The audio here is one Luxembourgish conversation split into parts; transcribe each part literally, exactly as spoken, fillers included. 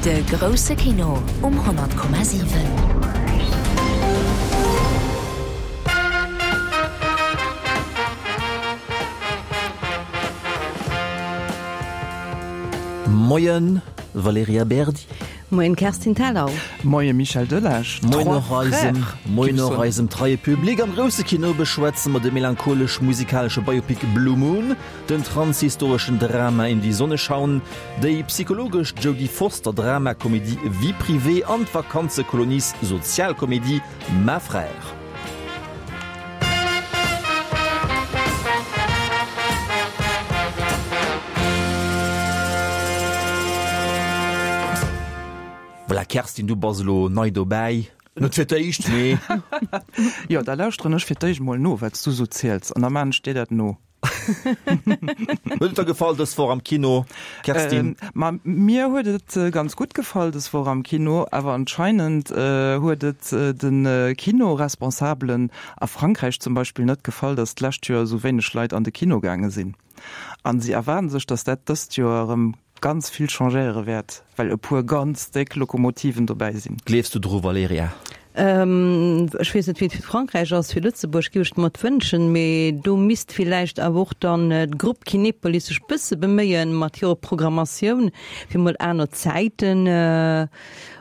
De grousse Kino um honnert Komma siwen. Moien Valerija Berdi. Moien Kerstin Thalau. Moie Michel Delage. Moien och eisem, moien och eisem treie Public. Am grousse Kino beschwätze mer de melancholesch-musikalesche Biopic Blue Moon, den transhistoreschen Drama In die Sonne schauen, déi psychologesch Jodie Foster Dramakomedie Vie privée an d'Vakanzekolonies-Sozialkomedie Ma Frère. Voilà, Kerstin, du bass elo nei dobäi. Net fir d'éischt, mee. Jo, da lauschteren ech fir d'éischt mol no, wat s du sou ziels, an da maan ech dir dat no. Huet et der gefall dës Woch am Kino, Kerstin? Ma mir huet et ganz gutt gefall dës Woch am Kino, awer anscheinend huet et de Kinoresponsabelen a Frankräich zum Beispill net gefall, datt d'lescht Joer esou wéineg Leit an de Kino gaange sinn. An si erwaarden sech, datt dat dëst Joer erëm ganz vill changéiere wäert, well e puer ganz déck Lokomotiven dobäi sinn. Gleefs du dru, Valerija? Ech weess net, wéi et fir Frankräich ass. Fir Lëtzebuerg géif ech et mer wënschen, mee do misst villäicht awer och dann d'Grupp Kinepolis sech bësse beméien mat hirer Programmatioun, fir mol aner Zäiten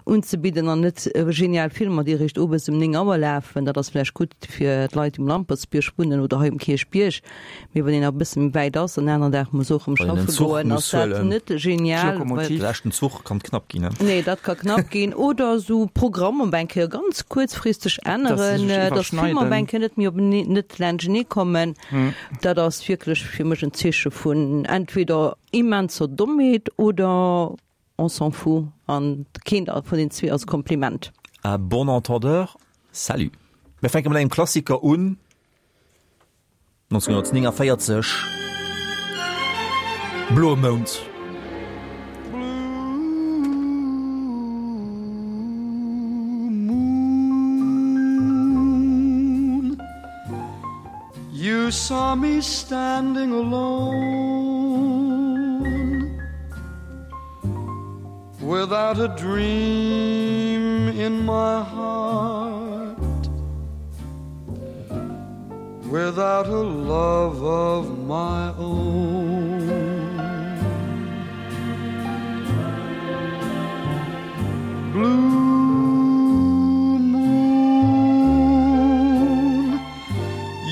unzebidden an net genial Filmer, déi eréischt owes um néng Auer lafen. Dat ass vläicht gutt fir d'Leit, déi um Lampertsbierg wunnen oder hei um Kierchbierg, mee wann een nach e bësse méi wäit ass an en aneren Dag muss och erëm schaffe goen, ass dat net genial. De leschten Zuch kann knapp ginn. Nee, dat ka knapp ginn. Oder esou Programm op eng Kéier ganz kuerzfristeg änneren, dass d'Filmer op eng Kéier net méi op net laanschtenee kommen. Dat ass wierklech fir mech en Zeeche vun entweder immenser Dommheet oder on s'en fout. An keent vun den zwee ass e Kompliment. À bon entendeur, salut. Mir fänke mat engem Klassiker un, nonzénhunnertnéngavéierzeg, Bloe Mound. Blue moon, you saw me standing alone, without a dream in my heart, without a love of my own. Blue moon,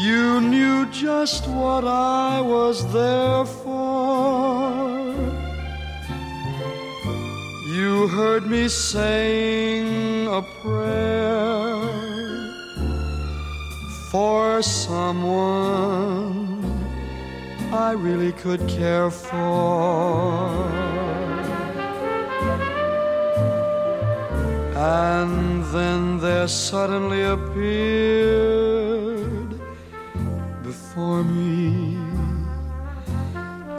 you knew just what I was there for. You heard me saying a prayer for someone I really could care for. And then there suddenly appeared before me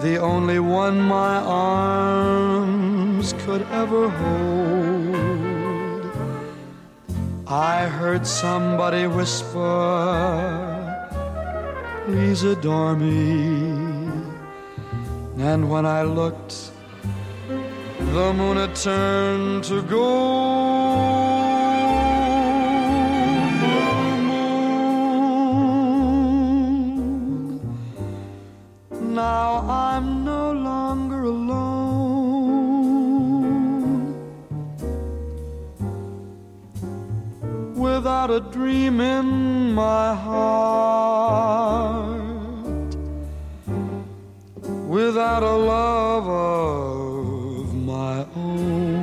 the only one my arms could ever hold. I heard somebody whisper, please adore me. And when I looked, the moon had turned to gold. Blue moon, now I'm no longer alone. Without a dream in my heart, without a love of my own.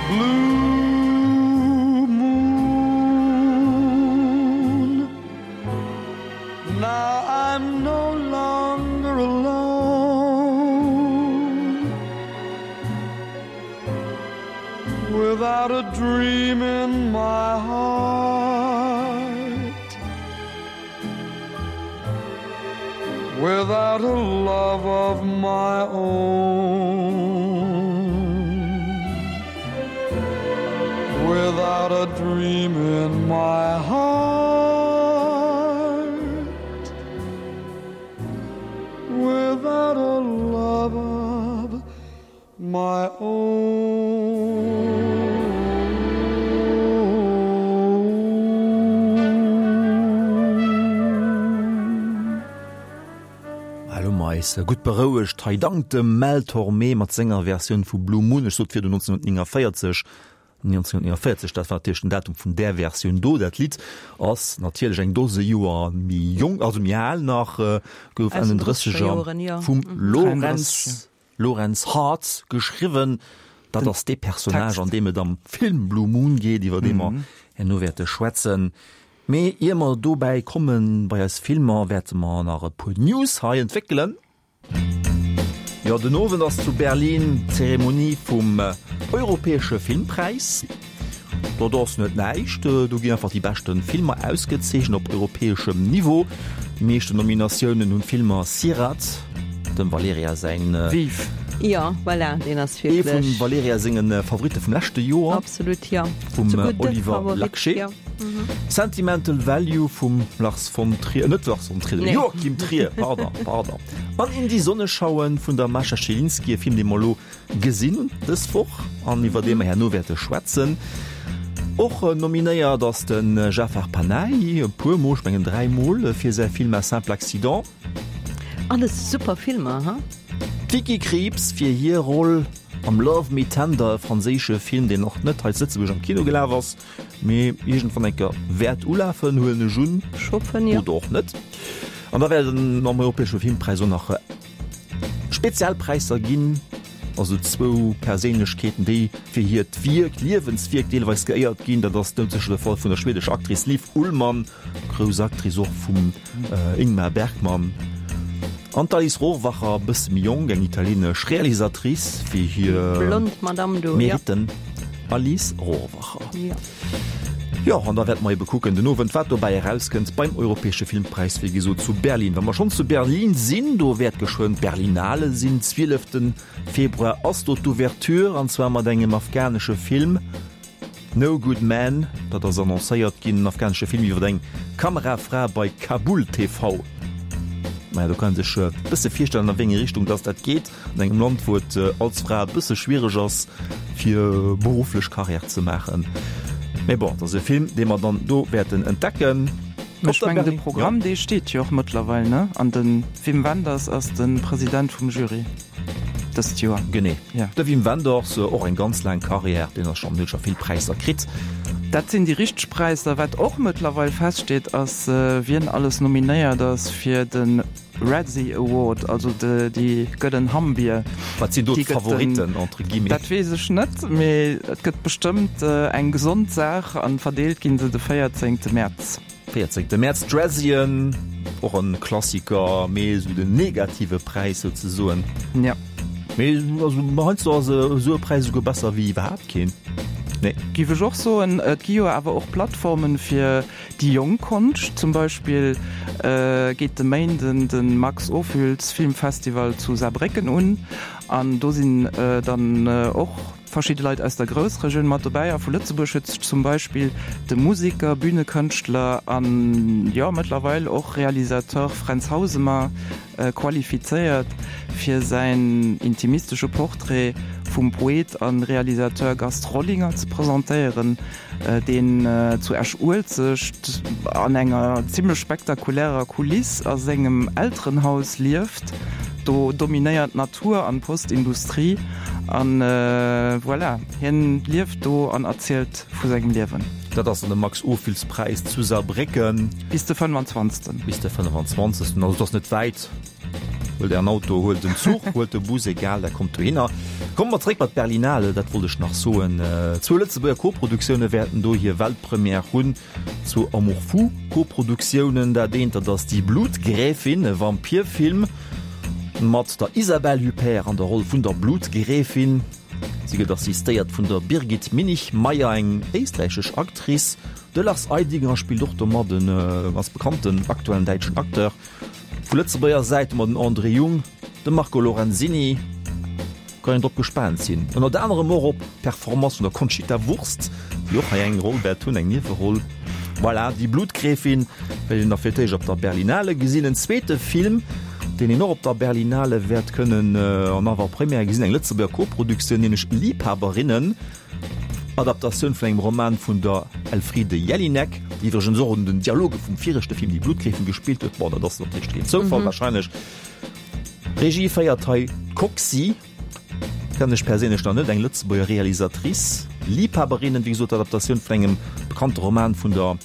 Blue moon, now I'm no longer here alone Without a dream in my heart Without a love of my own Without a dream in my heart Without a love of my own. Elo hu mer eis gutt berouegt hei dank dem Mel Tormé mat senger Versioun vu Blue Moon. Ech sot virdu neunzehnhundertneunundvierzig. neunzehnhundertneunundvierzig, dat war natierlech den Datum vun där Versioun do. Dat Lidd ass natierlech eng Dose Joer méi jonk, also méi al nach, gouf Enn den Drësseger vum Lorenz Lorenz Hart geschriwwen. Dat ass dee Personnage, an deem et am Film Blue Moon geet, iwwer dee mer herno wäerte schwätzen. Mee ier mer dobäi kommen, bei eis Filmer, wäerte mer nach e puer News hei entwéckelen. Jo, den Owend ass zu Berlin d'Zeremonie vum europäesche Filmpräis. Dat ass net näischt, do ginn einfach déi beschte Filmer ausgezeechent op europäeschem Niveau. Déi meeschten Nominatiounen hunn d'Filmer Sirat, dem Valerija säin. Vive! Jo, voilà, deen ass wierklech. Ee vum Valerija senge Favoritte vum leschte Joer. Absolut, jo. Vum Oliver Laxe. Sentimental Value vum Lars von Trier, net Lars von Trier, dem Joachim Trier, pardon, pardon. An In die Sonne schauen vun der Mascha Schilinski, e Film, dee mer elo gesinn hunn dës Woch an iwwer dee mer herno wäerte schwätzen. Och nominéiert ass de Jafar Panahi, e puer Mol, ech mengen dräi Mol, fir säi Film Un simple accident. Alles super Filmer, ha? D'Vicky Krieps fir hir Roll am Love Me Tender, e franséische Film, deen och net hei zu Lëtzebuerg am Kino gelaf ass, mee iergendwann eng Kéier wäert ulafen, huelen ech un. Ech hoffen, jo. Oder och net. An da wäert et am Europäesche Filmpräis och nach Spezialpräisser ginn, also zwou Perséinlechkeeten, déi fir hiert Wierk, Liewenswierk deelweis geéiert ginn. Dat ass doudsécher de Fall vun der schwedescher Actrice Liv Ullmann, grouss Actrice och vum Ingmar Bergman, an d'Alice Rohrwacher, e bësse méi jonk, eng italienesch Realisatrice, fir hir Meritten. Alice Rohrwacher. Jo, an da wäerte mer ebe kucken den Owend, wat dobäi erauskënnt beim Europäesche Filmpräis, wéi gesot zu Berlin. Wa mer schonn zu Berlin sinn, do wäert geschwënn d'Berlinale sinn. Zwielefte Februar ass do d'Ouverture, an zwar mat engem afghanesche Film, No Good Man. Dat ass annoncéiert ginn, en afghanesche Film iwwer eng Kamerafra bei Kabul T V. Maja, do kann ee sech e bësse virstellen, a wéi eng Richtung dass dat geet. An engem Land, wou et als Fra e bësse schwiereg ass, fir berufflech Karriär ze maachen. Mee bon, et ass e Film, dee mer dann do wäerten entdecken. Ech mengen, de Programm, dee steet jo och mëttlerweil, ne? An de Wim Wenders ass de President vum Jury dëst Joer. Genee, de Wim Wenders, och eng ganz laang Karriär, deen ass schonn, huet scho vill Präisser kritt. Dat sinn déi richteg Präisser. Wat och mëttlerweil feststeet, ass, wien alles nominéiert ass fir de Razzie Award, also déi gëllen Hammbier. Wat sinn do d'Favoritten, entre guillemets? Dat weess ech net, mee et gëtt bestëmmt eng gesond Saach an verdeelt ginn se de véierzéngte Mäerz. Véierzéngte Mäerz, d'Razzien, och en Klassiker, mee esou den negative Präis souzesoen. Ja. Mee also heiansdo ass esou e Präis esouguer besser wéi iwwerhaapt keen. Nee. Giff ech och soen. Et gi jo awer och Plattformen fir déi jonk Konscht. Zum Beispill geet de Méinden de Max Ophüls Filmfestival zu Saarbrécken un an do sinn dann och verschidde Leit aus der Groussregioun mat dobäi. A vu Lëtzebuerg huet sech zum Beispill de Museker, Bühnekënschtler an, jo, mëttlerweil och Realisateur Fränz Hausemer qualifizéiert fir säin intimistesche Portrait vum Poet a Realisateur Gast Rollinger ze presentéieren, deen zu Esch-Uelzecht an enger zimmlech spektakulärer Kuliss a sengem Elterenhaus lieft. Do dominéiert d'Natur an d'Postindustrie an voilà, hien lieft do an erzielt vu sengem Liewen. Dat ass dann de Max-Ophüls-Präis zu Saarbrécken. Bis de fënnefanzwanzegsten. Bis de fënnefanzwanzegsten, also et ass net wäit. Huelt Ären Auto, huelt den Zuch, huelt de Bus, egal, der kommt dohinner. Komme mer zréck bei d'Berlinale, dat wollt ech nach soen. Zwou Lëtzebuerger Koproduktioune wäerten do hir Weltpremière hunn, zwou Amour fou Koproduktiounen. Dat eent, dat ass Die Blutgräfin, e Vampirfilm Mat der Isabelle Huppert an der Roll vun der Blutgräfin. Si gëtt assistéiert vun der Birgit Minichmayr, eng éisträichesch Actrice. De Lars Eidinger spillt och do mat, e ganz bekannten aktuellen däitschen Acteur. Vu Lëtzebuerger Säit hu mer den André Jung, de Marco Lorenzini. Kann een drop gespaant sinn. Ënnert anerem och op d'Performance vun der Conchita Wurst, déi och hei eng Roll wäert hunn, eng Nieweroll. Voilà, Die Blutgräfin wäert een da fir d'éischt op der Berlinale gesinn. En zweete Film, deen een och op der Berlinale wäert kënnen an Avant-Première gesinn, eng Lëtzebuerger Koproduktioun, nämlech Liebhaberinnen, Adaptatioun vun engem Roman vun der Elfriede Jelinek, déi iwwregens och un den Dialoge vum viregte Film Die Blutgräfin gespillt huet. Bon, dat ass natierlech keen Zoufall warscheinlech. Regie féiert hei d'Coxie, kennen ech perséinlech nach net, eng Lëtzebuerger Realisatrice. Liebhaberinnen, wéi gesot, Adaptatioun vun engem bekannte Roman vun der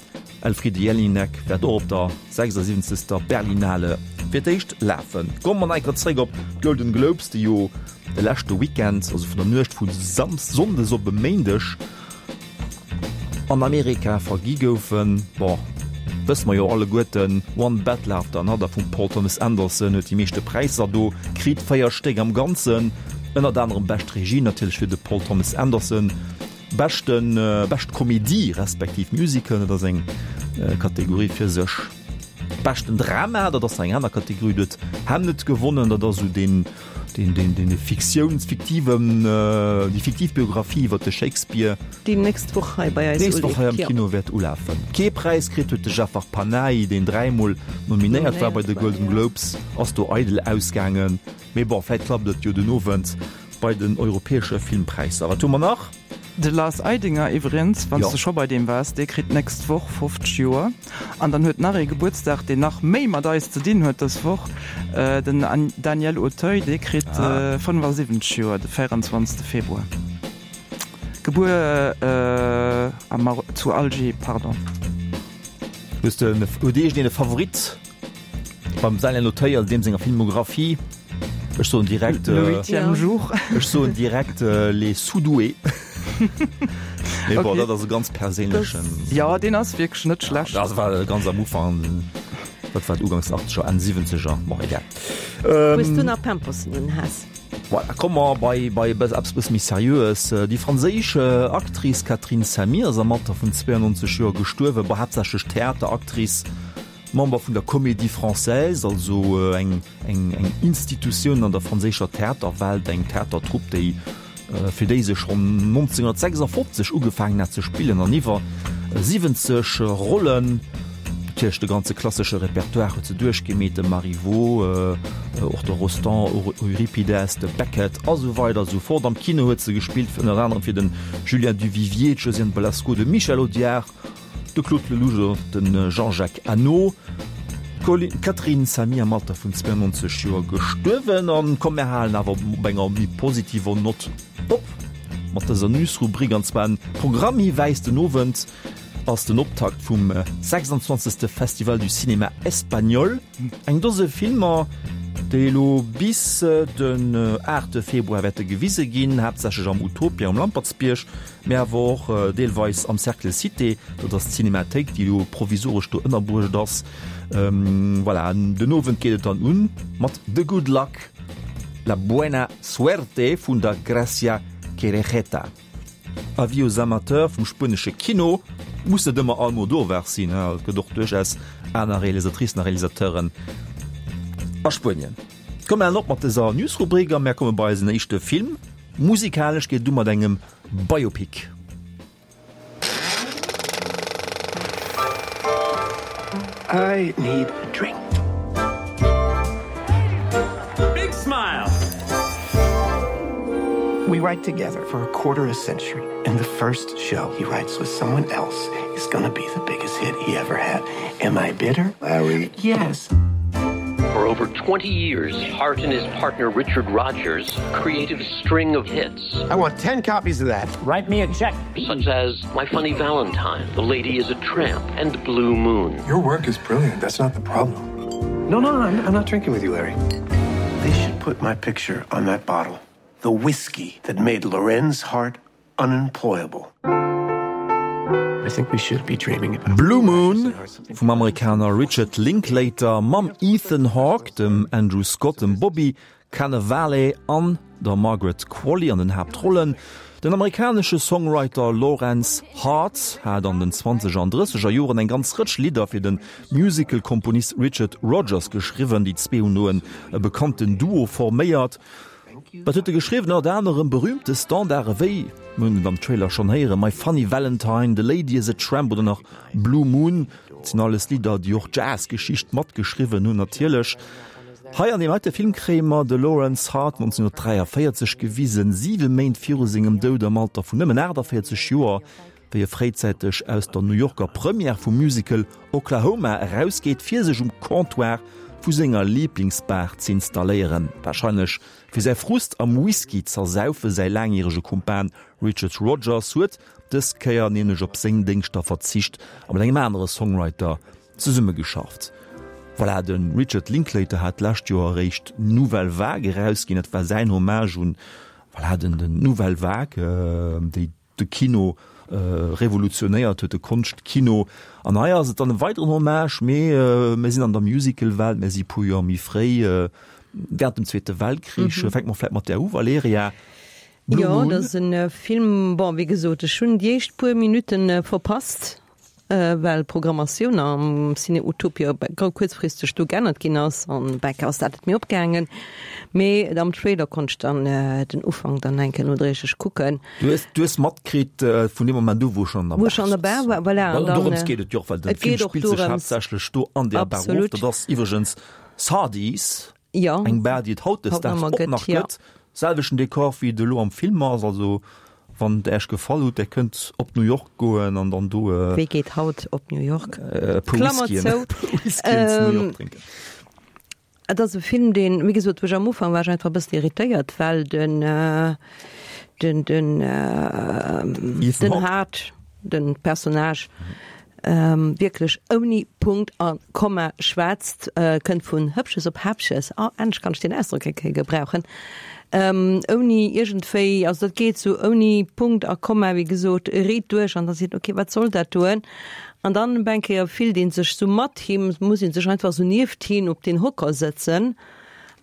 Elfriede Jelinek wäert och op der sechsundsiwwenzegster Berlinale fir d'éischt lafen. Komme mer nach eng Kéier zréck op d'Golden Globes, déi jo de leschte Weekend, also vun der Nuecht vu Samsdes, Sonndes op e Méindeg an Amerika vergi goufen. Bon, wësse mer jo alleguerten, One Battle After Another vum Paul Thomas Anderson huet déi meeschte Präisser do kritt, véier Stéck am Ganzen, ënnert anerem bescht Regie natierlech fir de Paul Thomas Anderson, Beschten, bescht Komedie respektiv Musical, dat ass eng Kategorie fir sech. Beschten Drama, dat ass nach eng aner Kategorie, do huet Hamnet gewonnen, dat ass esou deen, deen, deen, deen Fiktiouns, fiktiven, déi fiktiv Biographie iwwer de Shakespeare. Déi nächst Woch hei bei eis Nächst Woch hei am Kino wäert ulafen. Kee Präis kritt huet de Jafar Panahi, deen dräimol nominéiert war bei de Golden Globes, ass do eidel ausgaangen. Mee bon, vläit klappt et jo den Owend bei den europäesche Filmpräisser. Wat hu mer nach? De Lars Eidinger iwwregens, wann s de scho bei deem waars, dee kritt d'nächst Woch fofzeg Joer. An dann huet nach ee Gebuertsdag, deen nach méi mat eis ze dinn huet dës Woch, den Daniel Auteuil, dee kritt fënnefasiwwenzeg Joer de véierundzwanzegste Februar. Gebuer am Mar-, zu Alger, pardon. Hues de, huet iergendeen e Favorit beim Daniel Auteuil an deem senger Filmographie? Ech soen direkt, Le huitième jour. Ech soen direkt Les Sous-doués. Mee bon, dat ass e ganz perséinlechen. Jo, deen ass wierklech net schlecht. Dat war ganz am Ufank, dat war uganks achtzeger, Enn siwwenzeger, bon egal. Hues du nach Pampersen un Haass? Voilà, komme mer bei bei eppes bësse méi Seriöes. Déi franséisch Actrice Catherine Samie ass am Alter vun zweiundneunzeg Joer gestuerwen, bon haaptsächlech Theateractrice, Member vun der Comédie Française, also eng eng eng Institutioun an der franséischer Theaterwelt, eng Theatertrupp, déi fir déi se schonn nonzénghunnertsechsundfofzeg ugefaangen hat ze spillen an iwwer siwwenzeg Rollen, natierlech de ganze klassesche Repertoire huet se duerchgemeet, de Marivaux, och de Rostand, Euripides, de Beckett a sou weider a sou fort. Am Kino huet se gespillt ënner anerem fir de Julien Duvivier, d'Josiane Balasko, de Michel Audiard, De Claude Lelouch oder de Jean-Jacques Annaud. D'Catherine Samy am Alter vun zweiundneunzeg Joer gestuerwen. An komm mär halen awer op enger méi positiver Nott op mat dëser Newsrubrik. An zwar en Programmhiwäis, Den Owend ass den Optakt vum sechsundzwanzegste Festival du Cinéma Espagnol. Eng Dose Filmer, déi elo bis den aachte Februar wäerte gewise ginn, haaptsächlech am Utopia um Lampertsbierg, mä awer och deelweis am Cercle Cité, dat ass d'Cinémathéik, déi elo provisoresch do ënnerbruecht ass. Voilà, den Owend geet et dann un mat The Good Luck, La Buena Suerte vun der Gracia Querejeta. Avis aux amateurs vum spuenesche Kino, muss net ëmmer Almodovar sinn, et gëtt och duerchaus aner Realisatricen a Realisateuren a Spuenien. Komm mir halen op mat dëser Newsrubrik a mär komme bei eisen éischte Film. Musikalesch geet et u mat engem Biopic. I need a drink. Big smile. We write together for a quarter a century and the first show he writes with someone else is gonna be the biggest hit he ever had. Am I bitter, Larry? Yes. For over twenty years, Hart and his partner Richard Rogers created a string of hits. I want ten copies of that. Write me a check. Such as My Funny Valentine, The Lady is a Tramp and Blue Moon. Your work is brilliant. That's not the problem. No, no, no, I'm, I'm not drinking with you, Larry. They should put my picture on that bottle. The whiskey that made Lorenz Hart unemployable. I think we should be dreaming about Blue Moon vum Amerikaner Richard Linklater mam Ethan Hawke, dem Andrew Scott, dem Bobby Cannavale an der Margaret Qualley an den Haaptrollen. Den amerikanesche Songwriter Lorenz Hart hat an den zwanzeger an drësseger Joren eng ganz Rëtsch Lidder fir de Musical-Komponist Richard Rodgers geschriwwen. Déi zwee hunn do en bekannten Duo forméiert. Wat huet e geschriwwen? Ënnert anerem berüümte Standarde wéi, mir hunn et am Trailer schonn héieren, My Funny Valentine, The Lady Is a Tramp oder nach Blue Moon. Dat sinn alles Lidder, déi och d'Jazz-Geschicht matgeschriwwen hunn natierlech. Hei an deem heite Film kréie mer de Lorenz Hart nonzénhunnertdräiavéierzeg gewisen, siwe Méint viru sengem Doud am Alter vun nëmmen aachtavéierzeg Joer, wéi e fréizäiteg aus der New Yorker Première vum Musical Oklahoma erausgeet, fir sech um Comptoir vu senger Liblingsbar z'installéieren, warscheinlech fir säi Frust am Whisky z'ersaufen. Säi laangjärege Kumpan Richard Rodgers huet dës Kéier nämlech op seng Déngschter verzicht a mat engem anere Songwriter zesummegeschafft. Voilà, de Richard Linklater hat d'lescht Joer eréischt Nouvelle Vague erausginn. Dat war säin Hommage un, voilà, den, den Nouvelle Vague, déi de Kino revolutionéiert huet, de Konschtkino. An hei ass et dann e weideren Hommage, mee mir sinn an der Musicalwelt, mir si puer Joer méi fréi, während dem Zweete Weltkrich. Fänke mer vläicht mat där u, Valerija. Blue Moon. Jo, dat ass e Film, bon, wéi gesot, ech hunn déi éischt puer Minutte verpasst. well d'Programmatioun am Ciné Utopia kuerzfristeg do geännert ginn ass an bäck ass dat net méi opgaangen. Mee am Trailer konnt ech dann den Ufank dann eng Kéier nodréiglech kucken. Du hues, du hues matkritt vun deem Moment u wou ech an der Wou ech an der Bar war, voilà. Well dorëms geet et jo och, well den Film spillt sech haaptsächlech do an där Bar of. Dat ass iwwregens Sardi's. Jo. Eng Bar, déi et hautdesdaags och nach gëtt. Selwechten Dekor wéi et elo am Film ass, also Wann et Äech gefall hutt, där kënnt op New York goen an dann do e Wie geet haut op New York? puer Klammer Whiskyen, zou. puer Whiskyen zu New York drénken. Et ass e Film, deen, wéi gesot, wou ech am Ufank war ech einfach e bëssen irritéiert, well den, den, den, Ethan den Hawke. Hart, den Personnage, wierklech ouni Punkt a Komma schwätzt, kënnt vun Hëppches op Häppches, oh, endlech kann ech deen Ausdrock eng Kéier gebrauchen, ouni iergendwéi, also dat geet sou ouni Punkt a Komma, wéi gesot, riit duerch an da seet, okay, wat soll dat doen? An dann op eng Kéier fillt ee sech sou mat him, muss ee sech einfach sou nieft hien op deen Hocker sëtzen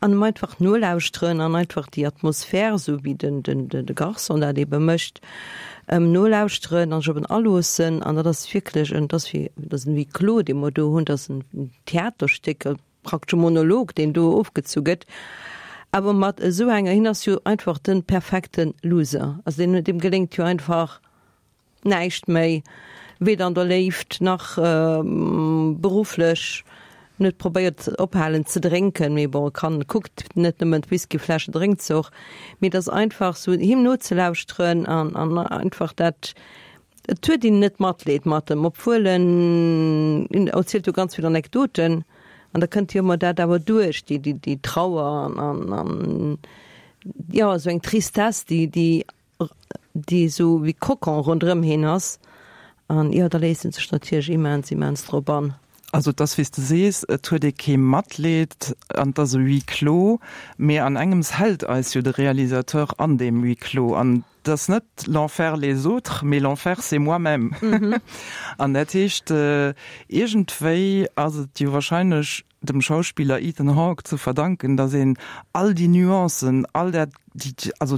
an em einfach nolauschteren an einfach déi Atmosphär, esou wéi den, den, de Garçon dat ebe mécht, em nolauschteren an sech op en aloossen. An dat ass wierklech en, dat ass wéi, dat ass en Huis clos, dee mer do hunn, dat ass en Theaterstéck, praktesch e Monolog, deen do ofgezu gëtt, awer mat esou enger, hien ass jo einfach de perfekte Loser, also deen, deem geléngt jo einfach näischt méi, weder an der Léift nach berufflech. En huet probéiert ophalen ze drénken, mee bon, e kann, kuckt net nëmmen d'Whiskyfläsche, drénkt se och. Mee et ass einfach sou him nozelauschteren an an einfach dat, et huet een net Matleed mat em, obwuel en, en erzielt jo ganz vill Anekdoten an da kënnt jo ëmmer dat awer duerch, déi déi déi Trauer an an an jo esou eng Tristesse, déi déi déi esou wéi Kokon ronderëm hien ass an jo, da léisst en sech natierlech immens immens drop an. Also et ass wéi s de sees, et huet ee kee Matleed an et ass e Huis clos, mee an engems hält eis jo de Realisateur an deem Huis clos an et ass net l'enfer les autres, mee l'enfer c'est moi-même. An dat heescht, iergendwéi ass et jo wahrscheinlech dem Schauspiller Ethan Hawke ze verdanken, datt een all déi Nuancen, all dat, déi, also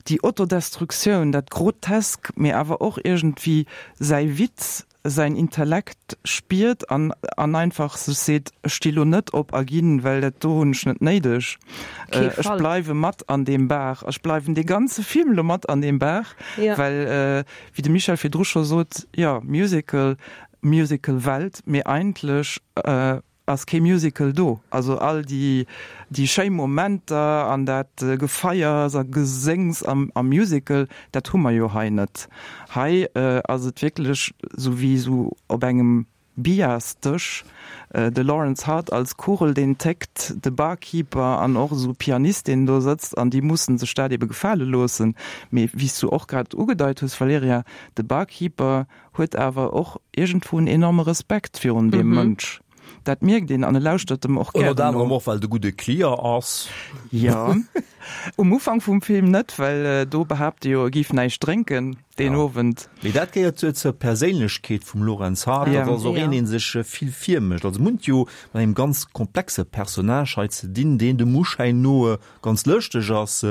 déi Autodestruktioun, dat Grotesk, mee awer och iergendwéi säi Witz, säin Intellekt spiert an an einfach sech seet, ech sti lo net op a ginn, well dat do hunn ech net néideg, ech bleiwe mat an deem Bar, ech bleiwen dee ganze Film lo mat an deem Bar, well wéi de Michel virdru scho sot, jo, Musical, Musical-Welt, mee eigentlech ass kee Musical do. Also all déi déi schéi Momenter an dat Gefeiers a Geséngs am am Musical, dat hu mer jo hei net. Hei ass et wierklech sou wéi sou op engem Billardsdësch, de Lawrence Hart als Kugel, deen téckt, de Barkeeper an och esou Pianist, deen do sëtzt an déi mussen sech dat ebe gefale loossen. Mee wéi s du och grad ugedeit hues, Valerija, de Barkeeper huet awer och iergendwou en enorme Respekt virun deem Mënsch. Dat mierkt een an e lauschtert em och Ënnert gären anerem no. och, well et e gudde Client ass. Jo, um Ufank vum Film net, well do behaapt e jo, e géif näischt drénken deen Owend. Mee dat gehéiert jo zur Perséinlechkeet vum Lorenz Hart, dat ass och een, dee sech vill virmécht. Also mir hunn et jo mat engem ganz komplexe Personnage hei ze dinn, deen dem Uschäin no ganz lëschteg ass,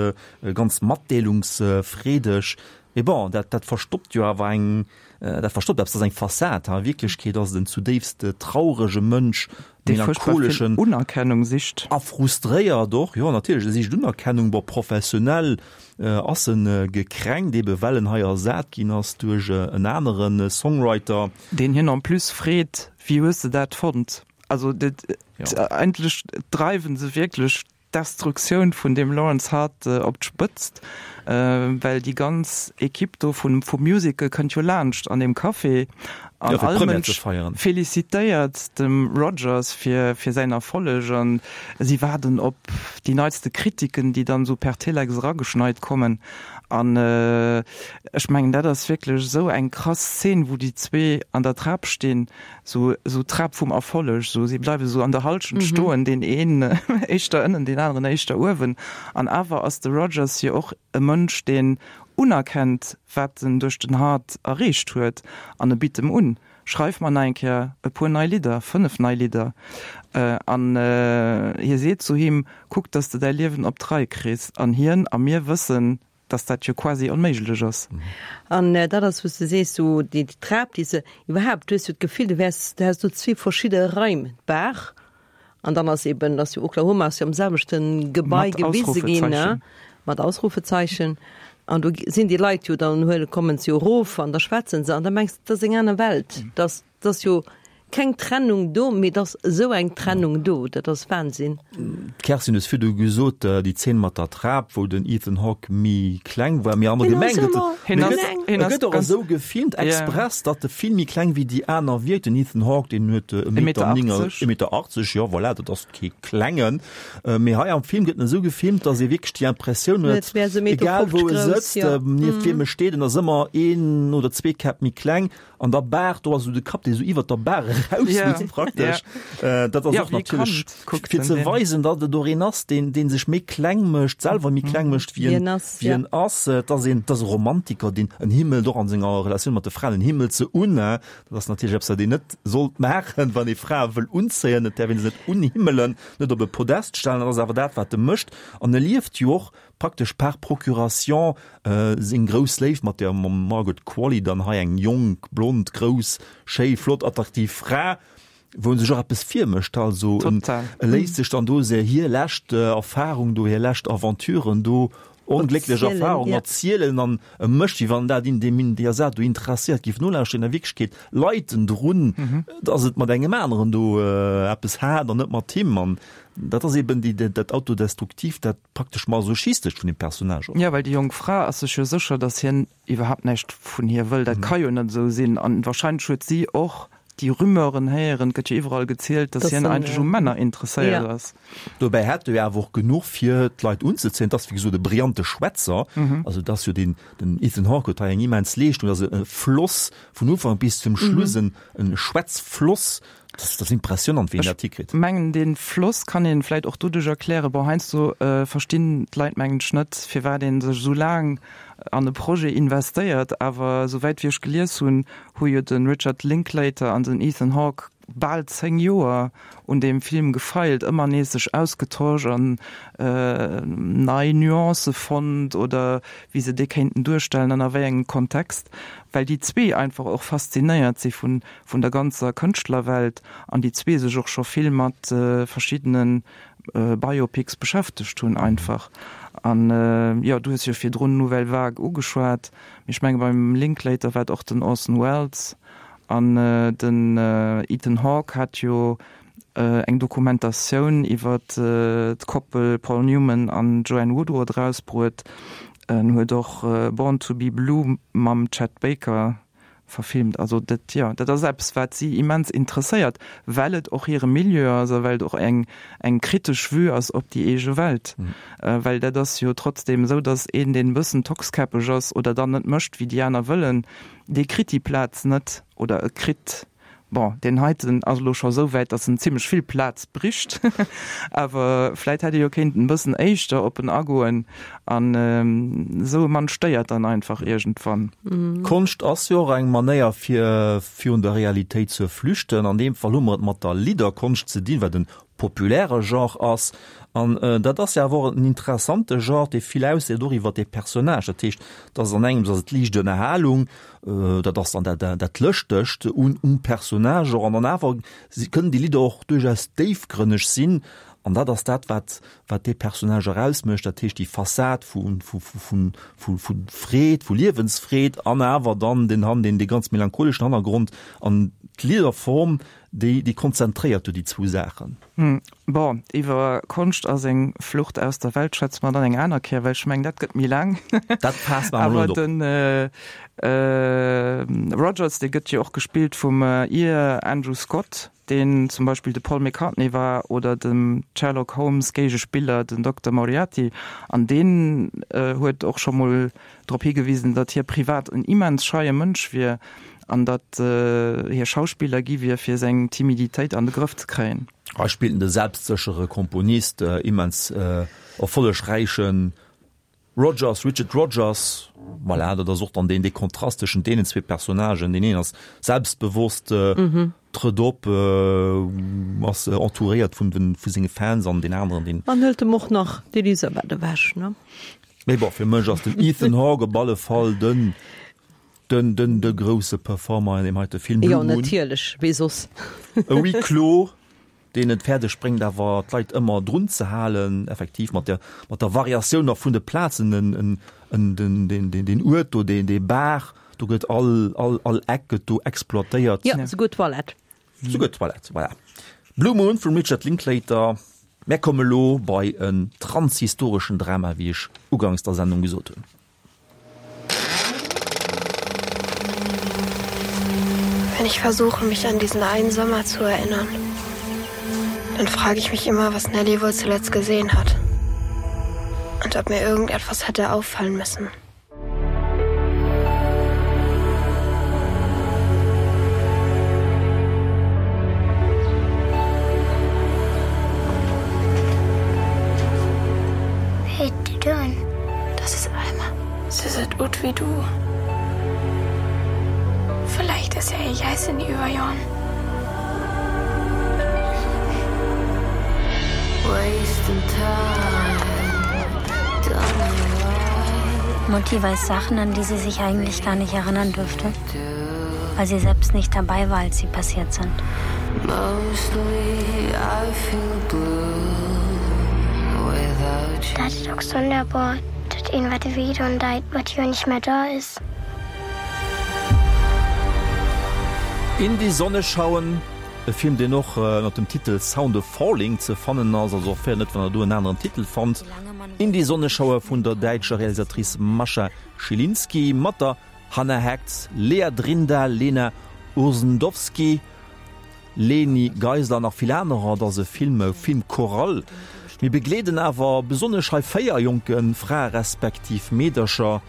ganz matdeelungsfreedeg. Mee bon, dat, dat verstoppt jo awer eng, dat verstoppt eppes, dat ass eng Fassad. A Wierklechkeet ass et en zudéifst traurege Mënsch, Dee furchtbar vill melancholeschen. Unerkennung sicht. A frustréiert och, jo natierlech, e sicht Unerkennung. Bon, professionell ass en gekränkt, ebe well en hei ersat ginn ass duerch en anere Songwriter. Deen hien en plus freet, Wéi hues de dat fonnt? Also dat, eigentlech dreiwen se wierklech d'Destruktioun vun deem Lawrence Hart op d'Spëtzt, well déi ganz Equipe do vum Musical kënnt jo laanscht an deem Café an Ja, fir all d'Première ze Mënsch feieren. felicitéiert dem Rogers fir fir säin Erfolleg an si waarden op déi neitste Kritiken, déi dann esou per Telex erageschneit kommen. An ech mengen, dat ass wierklech esou eng krass Szene, wou déi zwee an der Trap stinn, sou sou d'Trap vum Erfolleg, sou si bleiwe sou an der Halschent stoen, deen een éischter ënnen, deen aneren éischter uewen. An awer ass de Rogers jo och e Mënsch, deen unerkennt, wat en duerch den Hart erreecht huet, an e bitt em un, Schreif mer nach eng Kéier e puer nei Lidder, fënnef nei Lidder. An hie seet zu him, Kuck, dass de däi Liewen op d'Rei kriss. An hien a mir wëssen, dass dat jo quasi onméiglech ass. An dat ass, wou s de sees, sou déi Trap, déi se iwwerhaapt, du hues jo d'Gefill, du wäers, du häss do zwee verschidde Raim, d'Bar an dann ass eben, ass jo Oklahoma ass jo am selwechte Gebai Mat gewise ginn, Ausrufezeichen. mat Ausrufezeichen. An do sinn déi Leit jo, dann huele, kommen se jo erof an da schwätzen se an da mengs de, dat ass eng aner Welt. Dat ass jo keng Trennung do, mee et ass esou eng Trennung do, dat ass Wahnsinn. D'Kerstin, du hues virdu gesot, déi Zeen mat der Trap, wou den Ethan Hawke méi kleng war, mee allgemeng gëtt e gëtt och esou gefilmt express, datt e vill méi kleng wéi déi aner wierkt. Den Ethan Hawke, deen huet e Meter e Meter achtzeg, jo voilà, dat ass kee klengen. Mee hei am Film gëtt en esou gefilmt, datt ee wierklech déi Impressioun huet, egal wou e sëtzt, nieft wiem e steet, en ass ëmmer een oder zwee Käpp méi kleng. An der Baach, do ass esou de Kapp, dee esou iwwert der Baach erausluucht praktesch. Dat ass och natierlech fir ze weisen, datt et och een ass, deen, dee sech méi kleng mécht, selwer méi kleng mécht, wéi en, wéi en ass. Et ass een, et ass e Romantiker, deen en himmelt och an senger Relatioun mat de Fraen, en himmelt se un. Dat ass natierlech eppes, wat een net sollt maachen, wann ee Frae wëll unzéien. Et däerf ee se net unhimmelen, net op e Podest stellen. Dat ass awer dat, wat e mécht. An e lieft jo och praktesch par procuration seng grouss Léift mat der Margaret Qualley, dann hei eng jonk, blond, grouss, schéi, flott, attraktiv Fra, wou en sech och eppes virmécht, also en léisst sech dann do se hir lescht Erfahrung do, hir lescht Aventuren do, onglécklech Erfahrung erzielen an e mécht, wéi wann dat in deem in där Saach do interesséiert géif nolauschteren. An a Wierklechkeet leit en drun, datt et mat engem aneren do eppes hat an net mat him. An dat ass eben déi, dat Autodestruktiivt, dat praktesch Masochistescht vun deem Personnage och. Jo, well déi jonk Fra ass sech jo sécher, datt hien iwwerhaapt näischt vun hir wëll. Dat ka jo net esou sinn. An wahrscheinlech huet si och déi Rumeuren héieren, et gëtt jo iwwerall gezielt, datt hien eigentlech u Männer interesséiert ass. Dobäi hätt e jo awer och genuch fir d'Leit unzezéien. Et ass wéi gesot e brillante Schwätzer. Also et ass jo deen, den Ethan Hawke huet hei eng immens Leeschtung, et ass e Floss vun Ufank bis zum Schluss, en Schwätzfloss. Dat ass impressionant, wéi een dat hikritt. Ech mengen, dee Floss kann ee vläit och doduerch erklären, bon, heiansdo verstinn d'Leit, mengen ech, net, firwat ee sech esou laang an e Projet investéiert. Awer esouwäit wéi ech gelies hunn, hu jo de Richard Linklater an den Ethan Hawke bal zéng Joer un deem Film gefeilt, ëmmer nees sech ausgetosch an nei Nuancë fonnt oder wéi se dee kéinten duerstellen an a wéi engem Kontext, well déi zwee einfach och faszinéiert si vun vun der ganzer Kënschtlerwelt an déi zwee sech och scho vill mat verschiddene Biopics beschäftegt hunn einfach. An jo, du hues jo virdrun Nouvelle Vague ugeschwat, mee ech menge beim Linklater war et och den Orson Welles, An den Ethan Hawke hat jo eng Dokumentatioun iwwer d'Koppel Paul Newman an Joanne Woodward erausbruet. En huet och Born to be Blue mam Chet Baker verfilmt. Also dat, jo, dat ass eppes, wat si immens interesséiert, well et och hire Milieu ass a well et och eng eng kritesch Vue ass op déi eege Welt. Well dat ass jo trotzdeem esou, datt een, deen e bëssen tockskäppeg ass oder dann net mécht, wéi déi aner wëllen, dee kritt déi Plaz net oder e kritt Bon, deen heiten ass elo scho sou wäit, datt en zimlech vill Plaz bricht, awer vläit hätt ee jo kéinten e bëssen éischter op en agoen an esou e Mann stéiert dann einfach iergendwann. Konscht ass jo och eng Manéier fir virun der Realitéit ze flüchten. An deem Fall hu mer et mat der Lidderkonscht ze dinn, wat en populäre Genre ass. An dat ass jo awer och en interessante Genre, dee vill ausseet och iwwer dee Personnage. Dat heescht, dat ass an engems ass et liicht Ënnerhalung, dat ass dann dat, dat Lëschtegt un, um Personnage och. An dann awer kënnen déi Lidder och duerchaus déifgrënneg sinn. An dat ass dat, wat, wat dee Personnage erausmécht. Dat heescht, déi Fassad vu, vu, vu, vu, vu Freed, vu Liewensfreed an awer dann den, den, dee ganz melancholeschen Hannergrond an d'Lidderform, Déi, déi konzentréiert do déi zwou Saachen. Bon, iwwer Konscht a seng Flucht aus der Welt schwätze mer dann eng aner Kéier, well ech mengen, dat gëtt méi laang. Dat faasst mer emol net op. Awer de Rogers, dee gëtt jo och gespillt vum Ier Andrew Scott, deen zum Beispill de Paul McCartney war oder dem Sherlock Holmes Géigespiller, den Dokter Moriarty. An deen huet och scho mol drop higewisen, datt hie privat en immens scheie Mënsch wier. An datt hie Schauspiller gi wier, fir seng Timiditéit an de Grëff ze kréien. Hei spillt en de selbstséchere Komponist, immens erfollegräiche Rogers, Richard Rodgers. Voilà, dat ass och dann deen, dee Kontrast tëschent deenen zwee Personnagen. Deen een ass selbstbewosst, trëtt op, ass entouréiert vun den, vu senge Fans an deen aneren, deen. An hëlt em och nach d'Elisabeth ewech, ne? Mee bon, fir mech ass den Ethan Hawke op alle Fall den. Den, den, de grousse Performer an deem heite Film, Blue Moon. Jo, natierlech, wee soss? E Huis clos, deen et fäerdeg bréngt awer d'Leit ëmmer drun ze halen, effektiv mat der, mat der Variatioun nach vun de Plazen, en, en, en, den, den, den, den Uert do, deen, dee Bar, do gëtt all, all, all Eck gëtt do exploitéiert. Jo, souguer d'Toilette. Souguer d'Toilette, voilà. Blue Moon vum Richard Linklater. Mär komme lo bei en transhistoreschen Drama, wéi ech ugangs der Sendung gesot hunn. Wenn ich versuche, mich an diesen einen Sommer zu erinnern, dann frage ich mich immer, was Nelly wohl zuletzt gesehen hat und ob mir irgendetwas hätte auffallen müssen. Das ist Alma. Sie sieht ut wie du. Vielleicht ist er ihr heiß in Überjahren. Mutti weiß Sachen, an die sie sich eigentlich gar nicht erinnern dürfte, weil sie selbst nicht dabei war, als sie passiert sind. Dat is ook sonderbar, dat een wat weet en dat wat jo nicht mehr da is. In die Sonne schauen, e Film deen och ënnert dem Titel Sound of Falling ze fannen ass, also och fair net wann der do en aneren Titel fannt. In die Sonne schaue vun der däitscher Realisatrice Mascha Schilinski mat der Hannah Heckt, Lea Drinda, Lena Urzendowsky, Leni Geisler an nach vill anerer. Et ass e Film, Film choral. Mir begleeden awer besonnesch hei véier jonke Frae respektiv Meedercher,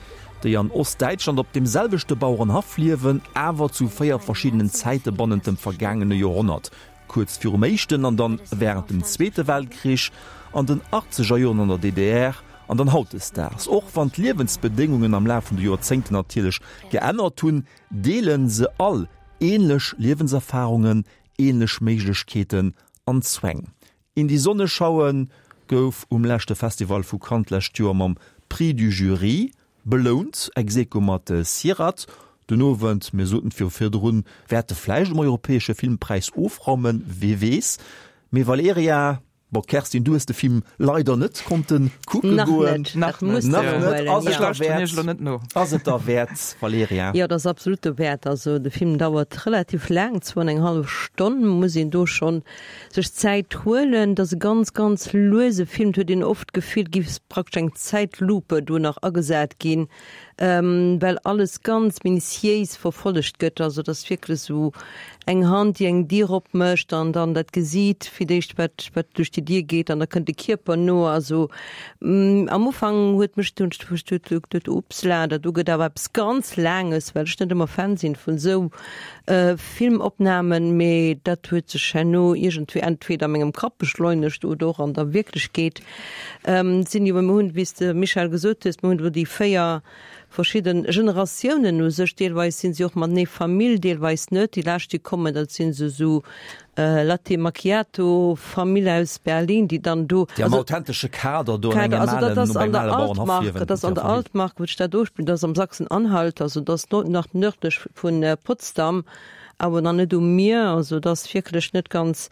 déi an Ostdäitschland op deem selwechte Bauerenhaff liewen, awer zu véier verschiddenen Zäite bannent dem vergaangene Joerhonnert, kuerz virum Éischten an dann wärend dem Zweete Weltkrich, an den Achtzegerjoren an der D D R an dann hautdesdaags. Och wann d'Liewensbedéngungen am Laf vun de Joerzéngten natierlech geännert hunn, deele se all änlech Liewenserfarungen, änlech Méiglechkeeten an Zwäng. In die Sonne schauen gouf um leschte Festival vu Cannes d'lescht Joer mam Prix du Jury belount, ex aequo mat Sirat. Den Owend, mir soten et jo virdrun, wäert e vläicht um europäesche Filmpräis ofraumen, wee weess. Mee Valerija, bon Kerstin, du hues de Film leider net konnte kucke Nach goen. net, dat muss de Nach jo net. huelen, Ass et ja. derwäert? Ass et derwäert, Valerija? Jo, dat ass absolut dowäert. Also de Film dauert relativ laang, zwou an eng hallef Stonn, muss een do schonn sech Zäit huelen. Et ass e ganz, ganz luese Film. Et huet een oft d'Gefill, et géif praktesch eng Zäitlupe do nach agesat ginn, well alles ganz minutiéis verfollegt gëtt. Also et ass wierklech esou eng Hand, déi eng Dier opmécht an dann dat gesiit fir d'éischt, wat, wat duerch déi déi Dier geet an da kënnt de Kierper no. Also am Ufank huet mech dunn huet upsla, dat do gëtt awer eppes ganz Laanges, well ech net ëmmer Fan sinn vun esou Filmopnamen, mee dat huet sech herno iergendwéi entweder a mengem Kapp beschleunegt oder och an der Wierklechkeet. Sinn jo, mir hunn, wéi s de Michèle gesot hues, mir hunn do déi véier verschidde Generatiounen u sech, deelweis sinn si och matenee Famill, deelweis net. Déi lescht, déi kommen, dat sinn esou esou Latte Macchiato Famill aus Berlin, déi dann do. Déi am authentesche Kader do an engem alen, no beim ale Bauernhaff liewen. Dat ass an der Altmark, wou sech dat ofspillt, dat ass am Sachsen-Anhalt, also dat ass nach nërdlech vu Potsdam. Awer nach net um Mier, also et ass wierklech net ganz,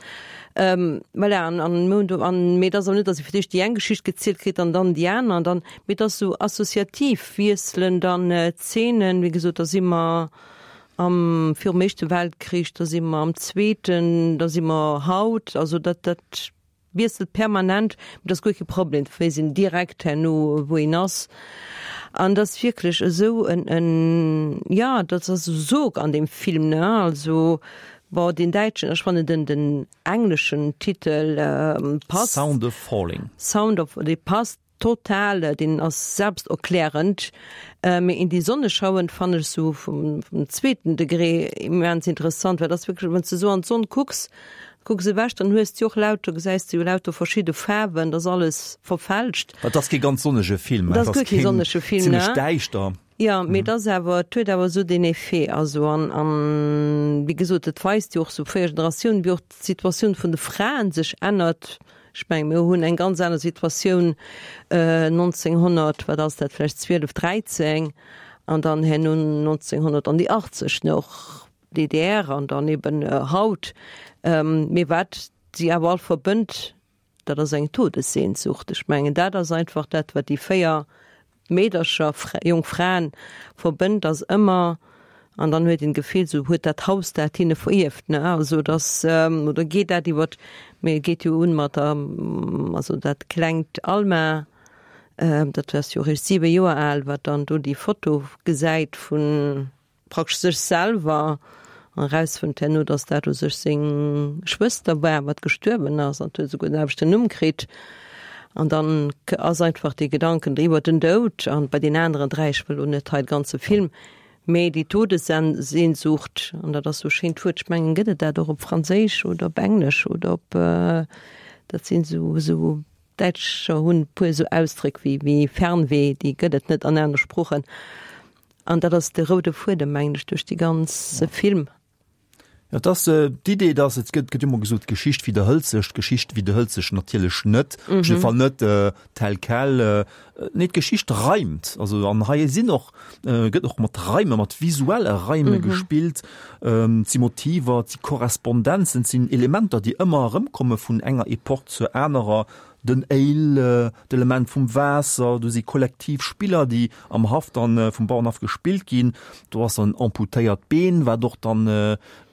voilà, an, an mir hunn do, an, mee et ass awer net, datt ee fir d'éischt déi eng Geschicht gezielt kritt an dann déi aner an dann, mee et ass esou associativ, wiesselen dann d'Zeenen, wéi gesot, da si mer am, virum Éischte Weltkrich, da si mer am Zweeten, da si mer haut, also dat, dat wiesselt permanent, mee dat ass guer kee Problem, et weess een direkt herno, wou een ass. An dat ass wierklech esou en, en, jo, dat ass esou Sog an deem Film, ne? Also, bon, deen däitschen, ech fannen den, den engleschen Titel passt. Sound of Falling. Sound of, dee passt total, deen ass selbsterklärend. Mee In die Sonne schauen fannen ech esou vum, vum zweeten Degré immens interessant, well dat ass wierklech, wann s de esou an d'Sonn kucks, Kucks ewech, dann hues de jo och lauter, gesäis de jo lauter verschidde Faarwen, dat ass alles verfälscht. Et ass kee ganz sonnege Film, et ass guer kee sonnege Film, ne? Zimlech däischter. Jo, mee et ass awer, et huet awer esou deen Effet, also an, an wéi gesot, et weist jo och sou véier Generatiounen, wéi och d'Situatioun vun de Fraen sech ännert. Ech mengen, mir hunn eng ganz aner Situatioun nonzénghonnert, wat ass dat, vläicht zwielef, dräizéng an dann herno nonzénghonnert an déi achtzeg, ne, och D D R an dann eben haut. Mee wat si awer all verbënnt, dat ass eng Todessehnsucht. Ech mengen, dat ass einfach dat, wat déi véier Meedercher, jonk Fraen verbënnt, ass ëmmer, an dann huet een d'Gefill, sou huet dat Haus dat hinne verierft, ne? Also dass, oder geet dat iwwer, mee et geet jo un mat der, also dat klengt Alma, dat ass jo eréischt siwe Joer al, wat dann do déi Foto gesäit vun, praktesch sech selwer an erausfënnt herno, dass dat u sech seng Schwëster war, wat gestuerwen ass, an huet esouguer den selwechten Numm kritt. An dann ass einfach dee Gedanken iwwer den Doud, an bei den aneren dräi, ech wëll elo net hei de ganze Film, mee déi Todessehnsucht, an dat ass esou e schéint Wuert, ech mengen, gëtt et dat och op Franséisch oder op Englesch oder op, dat sinn esou, esou, Däitscher hunn e puer esou Ausdréck wéi, wéi Fernweh, déi gëtt et net an anere Sproochen. An dat ass de roude Fuedem, mengen ech, duerch dee ganze Film. Jo, et ass d'Idee, dass, et gëtt gëtt ëmmer gesot, d'Geschicht widderhëlt sech. D'Geschicht widderhëlt sech natierlech net, op jidde Fall net tel quel. Nee, d'Geschicht reimt. Also an hei sinn och, gëtt och mat Reime, mat visuelle Reime gespillt. Et si Motiver, et si Korrespondenzen, et sinn Elementer, déi ëmmer erëmkomme vun enger Epoch zur anerer. Den Ale, d'Element vum Waasser, do si kollektiv Spiller, déi am Haff dann vum Bauernhaff gespillt ginn. Do ass en amputéiert Been, wat och dann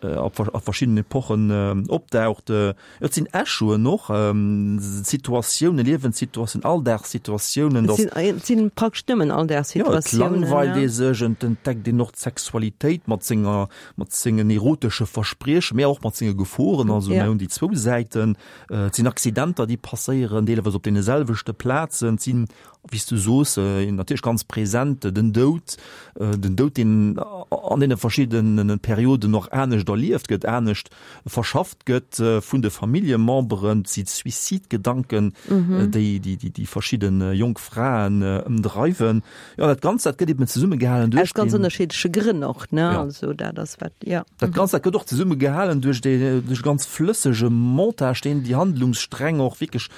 a verschiddenen Epochen opdaucht. Et sinn Echoen och, Situatiounen, Liewenssituatiounen, Alldagssituatiounen. Et sinn praktesch nëmmen Alldagssituatiounen. Jo, et langweilt ee sech, et entdeckt een och d'Sexualitéit mat senger, mat sengen erotesche Verspriechen, mä och mat senge Geforen. Also mir hunn déi zwou Säiten. Et sinn Accidenter, déi passéieren, deelweis op deene selwechte Plazen. Et sinn, wéi s du soos, natierlech ganz present den Doud, den Doud, deen an deene verschiddene Perioden och anescht erlieft gëtt, anescht verschafft gëtt vun de Familljememberen. Et si Suizidgedanken, déi déi verschidde jonk Fraen ëmdreiwen. Jo, dat Ganzt, dat gëtt eben zesummegehalen duerch. Aus ganz ënnerschiddleche Grënn och, ne? Ja. Also dat ass wat, ja. Dat Ganzt, dat gëtt och zesummegehalen duerch dee, duerch e ganz flëssege Montage, deen déi Handlungssträng och wierklech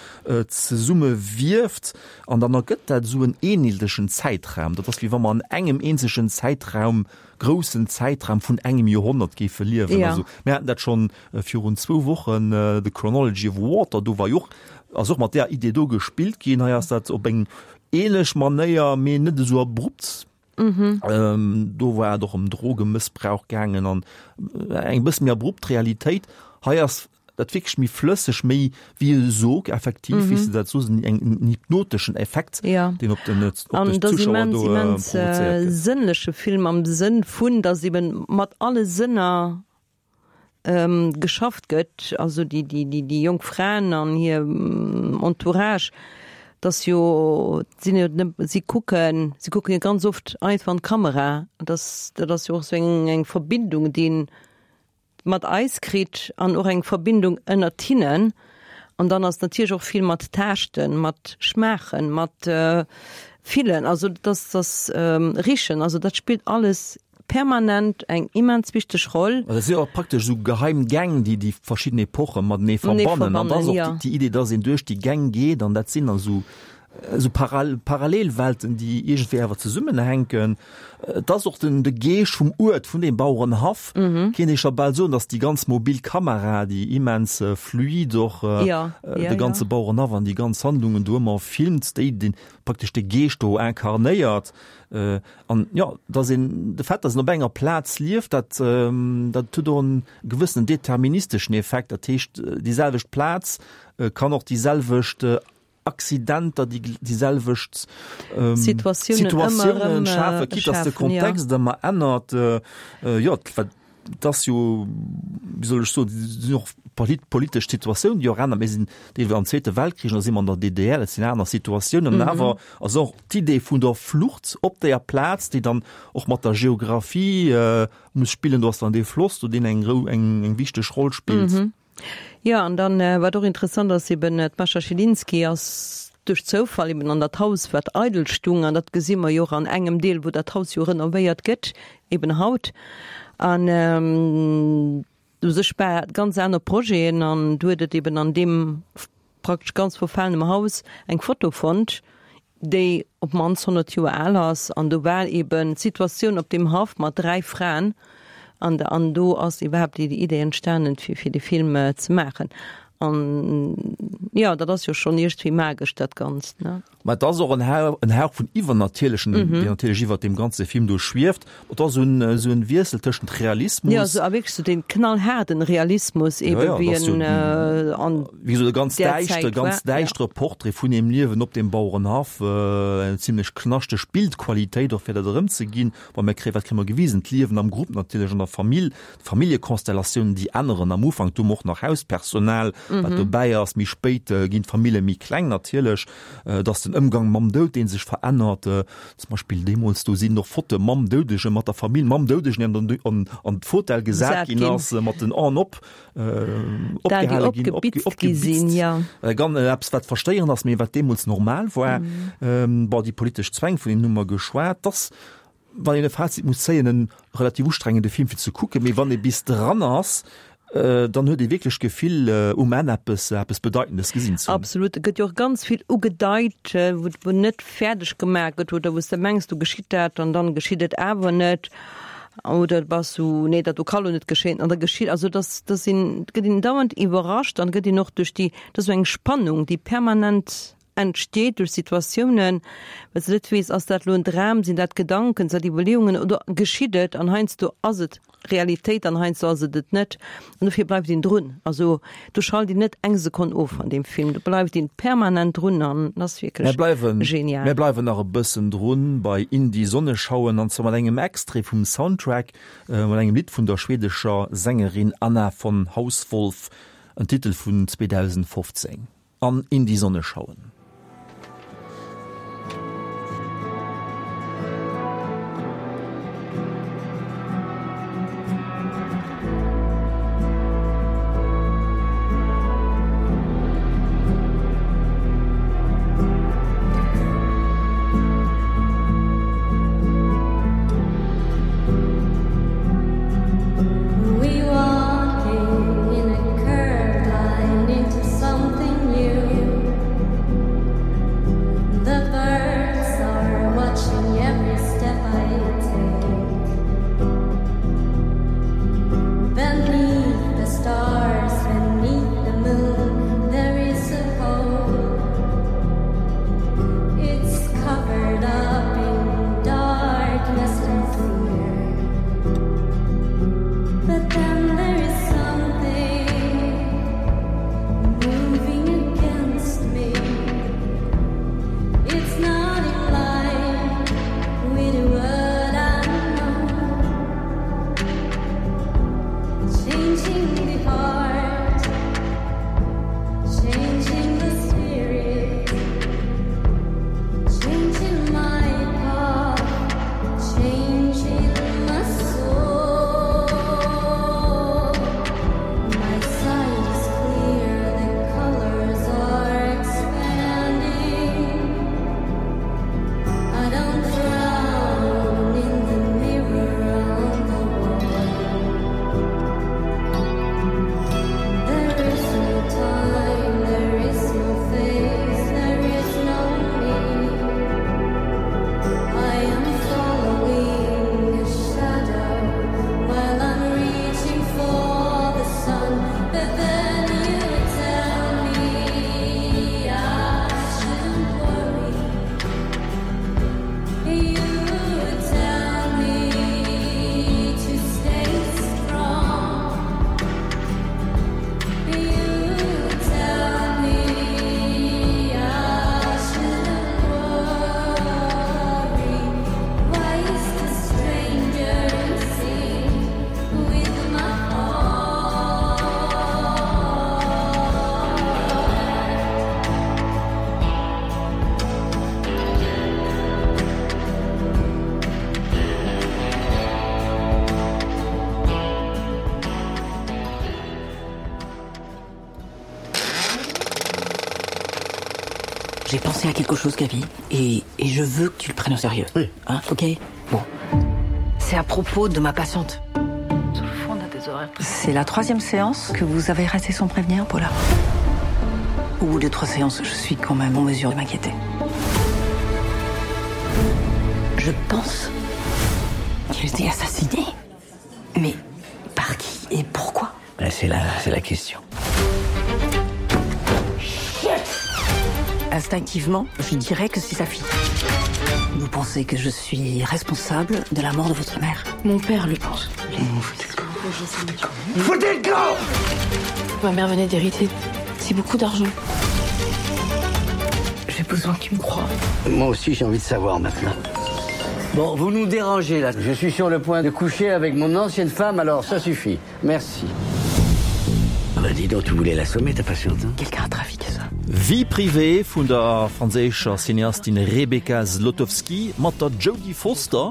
zesummewierft. An dann ergëtt dat esou en eenheetlechen Zäitraum. Dat ass, wéi wa mer an engem eenzegen Zäitraum, groussen Zäitraum vun engem Joerhonnert géife liewen. Ja. Also mir haten dat schonn virun zwou Wochen, The Chronology of Water, do war jo och, ass och mat där Idee do gespillt ginn. Hei ass dat op eng ähnlech Manéier, mee net esou abrupt. Do war et och ëm Drogemëssbrauch gaangen an eng bësse méi abrupt Realitéit. Hei ass dat wierklech méi flësseg, méi wéi e Sog effektiv, wéi s de dat soos, en hypnoteschen Effekt, deen op den Zuschauer do provozéiert gëtt. An et ass immens, immens sënnleche Film am Sënn vun, datt eben mat alle Sënner geschafft gëtt, also déi, déi, déi, déi jonk Fraen an hir Entourage, dass jo, sinn jo net, si kucken, si kucken jo ganz oft einfach an d'Kamera, dass, dat ass jo och esou eng, eng Verbindung, déi een mat eis kritt an och eng Verbindung ënnert hinnen. An dann ass natierlech och vill mat Taaschten, mat Schmaachen, mat Fillen, also dass, dass Richen, also dat spillt alles permanent eng immens wichteg Roll. Dat si jo och praktesch esou geheim Gäng, déi déi verschidden Epoche matenee verbannen. An da ass och déi Idee, dass een duerch déi Gäng geet an dat sinn dann esou esou Parallelwelten, déi iergendwéi awer zesummenhänken. Et ass och den de Geescht vum Uert, vun deem Bauerenhaff, kéint ee scho bal soen, dass déi ganz mobil Kamera, déi immens fluid och de ganze Bauerenhaff an déi ganz Handlungen do ëmmer filmt, déi den praktesch de Geescht do inkarnéiert. An jo, dass een de Fait, dass een op enger Plaz lieft, dat dat huet och en gewëssenen deterministeschen Effekt. Dat heescht, déi selwecht Plaz kann och déi selwecht Accidenter, déi déi selwecht Situatiounen schafen, quitte dass de Kontext ëmmer ännert. Jo, wat et ass jo, wéi soll ech soen, et sinn och politesch Situatiounen, déi och änneren. Mir sinn deelweis am Zweete Weltkrich, da si mer an der D D R, dat sinn aner Situatiounen. An awer ass och d'Idee vun der Flucht op deeër Plaz, déi dann och mat der Geographie muss spillen, do ass dann dee Floss do, deen eng eng wichteg Roll spillt. Jo, an dann, wat och interessant ass, eben d'Mascha Schilinski ass duerch Zoufall eben an dat Haus, wat eidel stung, an dat gesi mer jo och an engem Deel, wou dat Haus jo renovéiert gëtt, eben haut. An u sech war et ganz aner Projeten, an du huet et eben an deem praktesch ganz verfalenem Haus eng Foto fonnt, déi op d'mannst honnert Joer al ass, an do war eben d'Situatioun op deem Haff mat dräi Fraen, an an do ass iwwerhaapt déi Idee entstanen, fir fir de Film ze maachen. An jo, dat ass jo schonn iergendwéi magesch, dat Ganzt, ne? Mä et ass och en Hauch, en Hauch vun Iwwernatierlechem, deen natierlech iwwert deem ganze Film do schwieft. Et ass esou en, esou en Wiessel tëschent Realismus. Jo, esou a wierklech esou dee knallhaarden Realismus ebe wéi en an Wéi esou e ganz där däischtere, Zäit war, ganz ja. däischtere Portrait vun deem Liewen op deem Bauerenhaff, eng zimlech knaschteg Bildqualitéit och fir dat erëmzeginn. Bon, mir kréien, wat kréie mer gewisen? D'Liewen am Grupp natierlech, an der Famill, d'Familljekonstellatiounen, déi änneren. Am Ufank, do hu mer och nach Hauspersonal, wat dobäi ass. Méi spéit ginn d'Famille méi kleng natierlech. Et ass den Ëmgang mam Doud, dee sech verännert. Zum Beispill deemools, do sinn och Fotoe mam Doudegen, mat der Famill mam Doudegen, deen dann an, an d'Fotell gesat ginn ass, mat den Aen op, opgehale ginn, opgebitzt gi sinn, jo. Ganz eppes, wat verstéierend ass, mee wat deemools normal war. Bon, déi politesch Zwäng, vun deenen hu mer geschwat. Dass, wann een e Fazit muss zéien, en relativ ustrengende Film fir ze kucken, mee wann ee bis dran ass, dann huet ee wierklech d'Gefill, um Enn eppes, eppes Bedeitendes gesinn ze hunn. Absolut, et gëtt jo och ganz vill ugedeit, wou, wou net fäerdeg gemaach gëtt oder wou s de mengs, do geschitt dat an dann geschitt et awer net oder du bass sou, nee, dat do ka lo net geschéien an da geschitt, also dass, dass een, et gëtt een dauernd iwwerrascht an gëtt een och duerch déi, dat ass esou eng Spannung, déi permanent entsteet duerch Situatiounen, well s de net weess, ass dat elo en Dram, sinn dat Gedanken, sinn dat Iwwerleeungen oder geschitt et? An heiansdo ass et Realitéit an heiansdo ass et et net. An dofir bleift een drun. Also do schalt een net eng Sekonn of an deem Film, do bleift een permanent drun an ass wierklech genial. Mir bleiwen nach e bëssen drun bei In die Sonne schauen an zwar mat engem Extrait vum Soundtrack, mat engem Lidd vun der schwedescher Sängerin Anna von Hausswolff, en Titel vun zweedausendfofzéng. An in die Sonne schauen. J'ai pensé à quelque chose, Gabi, et, et je veux que tu le prennes au sérieux. Oui. Hein, ok Bon. C'est à propos de ma patiente. C'est la troisième séance que vous avez resté sans prévenir, Paula. Au bout de trois séances, je suis quand même en mesure de m'inquiéter. Je pense qu'elle était assassinée. Mais par qui et pourquoi C'est la, la question. Instinctivement, je dirais que c'est sa fille. Vous pensez que je suis responsable de la mort de votre mère Mon père le pense. Foutez le camp Ma mère venait d'hériter. C'est beaucoup d'argent. J'ai besoin qu'il me croie. Moi aussi, j'ai envie de savoir maintenant. Bon, vous nous dérangez là. Je suis sur le point de coucher avec mon ancienne femme, alors ça suffit. Merci. Ah bah dis donc, tu voulais l'assommer, ta patiente. Hein Quelqu'un a trafiqué ça. Vie privée vun der franséischer Cineastin Rebecca Zlotowski mat der Jodie Foster,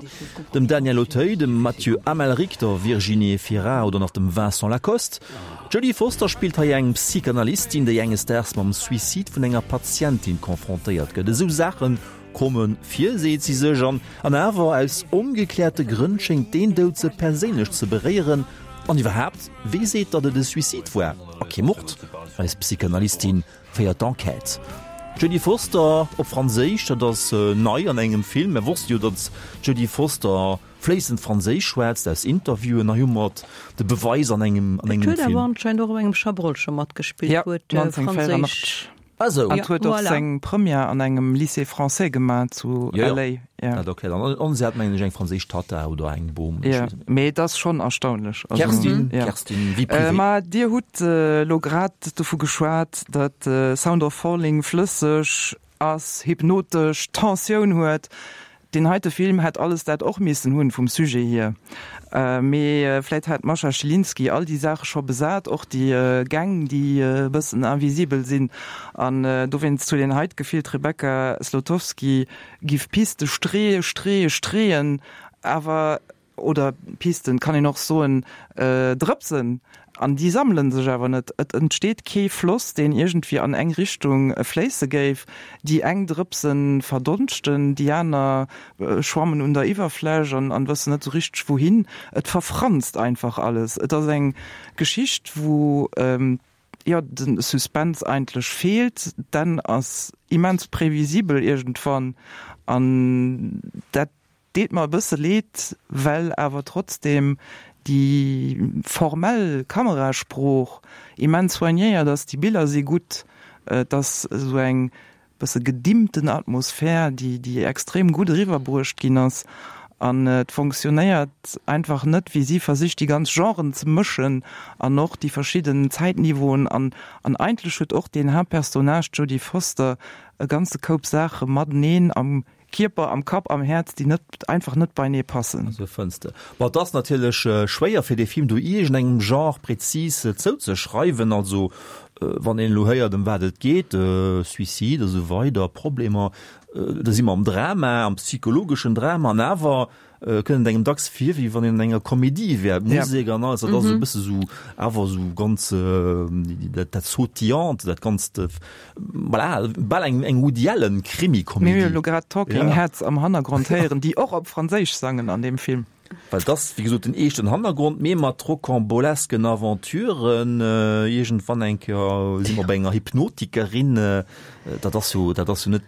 dem Daniel Auteuil, dem Mathieu Amalric, der Virginie Efira oder nach dem Vincent Lacoste. D'Jodie Foster spillt hei eng Psychanalystin, déi enges Daags mam Suicide vun enger Patientin konfrontéiert gëtt. Esou Saache komme vir, seet si sech, an an awer aus ongekläerte Grënn schéngt deen Doud se perséinlech ze beréieren. An iwwerhaapt, wee seet, datt et e Suicide war a kee Mord? Eis Psychanalystin féiert d'Enquête. D'Jodie Foster op Franséisch, dat ass nei an engem Film. Mer wosste jo, datt d'Jodie Foster fléissend Franséisch schwätzt aus Interviewen. Hei hu mer de Beweis an engem an Et engem huet awer Film. anscheinend och op engem Chabrol scho matgespillt, Ja, huet neunzehnhundertvierundachtzeg. Franséisch. Ah sou. An huet och Voilà. seng Première an engem Lycée français gemaach zu Jo, jo. L A. Ja. Dat erkläert an. An si hat mengen ech eng franséisch Tatta oder eng Bom. Ech Ja, weess net. mee et ass schonn erstaunlech. Also, Kerstin, ja. Kerstin, Vie Äh, privée. ma Dir hutt elo grad dovu geschwat, datt Sound of Falling flësseg ass, hypnotesch, Tensioun huet. Deen heite Film hätt alles dat och missen hunn, vum Sujet hier. Mee vläit hat d'Mascha Schilinski all déi Saache scho besat, och déi Gäng, déi e bëssen invisibel sinn. An dowéinst huet een hei d'Gefill, d'Rebecca Zlotowski giff Piste streeë, streeë, streeën, awer, oder Pisten kann een och soen, Drëpsen, an déi sammele sech awer net. Et entsteet kee Floss, deen iergendwéi an eng Richtung fléisse géif. Déi eng Drëpse verdonschten, déi aner schwammen un der Iwwerfläch an an wëssen net esou richteg wouhin. Et verfranst einfach alles. Et ass eng Geschicht, wou, jo, de Suspense eigentlech feelt. D'Enn ass immens previsibel iergendwann an dat deet mer e bësse leed, well awer trotzdem déi formell Kamerasprooch immens soignéiert ass, déi Biller si gutt, et ass esou eng bësse gedimmten Atmosphär, déi déi extrem gutt eriwwerbruecht ginn ass an et fonctionnéiert einfach net, wéi si versicht déi ganz Genren ze mëschen an och déi verschidden Zäitniveauen an an eigentlech huet och deen Haaptpersonnage, d'Jodie Foster, e ganze Koup Saache mateneen am Kierper, am Kapp, am Häerz, déi net, einfach net beienee passen. Also fënns de. Bon, et ass natierlech schwéier fir dee Film do iergendengem Genre prezis zouzeschreiwen. Also wann een elo héiert ëm wat et geet, Suicide a sou weider, Problemer, da si mer am Drama, am psychologeschen Drama, an awer kënnt et engem dacks vir, wéi wann een an enger Komedie wär. D'Musek an alles, dat ass esou e bësse sou, awer esou ganz, dat, dat Sautillante, dat Ganzt, voilà, bal eng, eng Woody Allen Krimi-Komedie. Mir hu jo elo grad d'Talking Heads am Hannergrond héieren, déi och op Franséisch sangen an deem Film. Well et ass, wéi gesot, den eeschten Hannergrond, mee mat rocambolesken Aventuren. Iergendwann eng Kéier si mer bei enger Hypnotikerin, dat ass jo, dat ass jo net,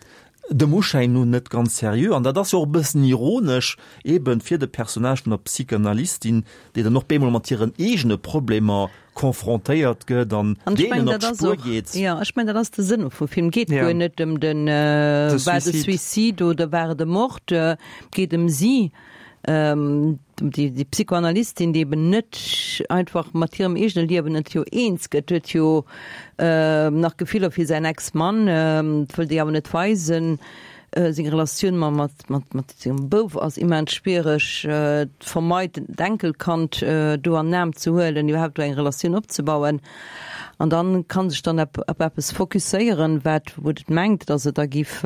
dem Uschäin no net ganz seriö. An dat ass jo och e bëssen ironesch eben fir de Personnage vun der Psychanalystin, déi dann och bemol mat hiren eegene Problemer confrontéiert gëtt an An ech deenen mengen, op dat ass d'Spuer och, geet. jo, ech mengen, dat ass de Sënn och vum Film. Geet Ja. guer net ëm den, De war et e Suicide. Suicide oder war et e Mord, geet ëm si, ëm déi, déi Psychoanalystin, déi eben net einfach mat hirem eegene Liewen net jo eens gëtt, huet jo nach Gefiller fir säin Ex-Mann, wëll déi awer net weisen. Seng Relatioun mat, mat, mat, mat sengem Bouf ass immens schwiereg, vermeit d'Enkelkand do an den Aarm ze huelen, iwwerhaapt do eng Relatioun opzebauen. An dann kann sech dann op, op eppes fokusséieren, wat, wou et mengt, datt et da giff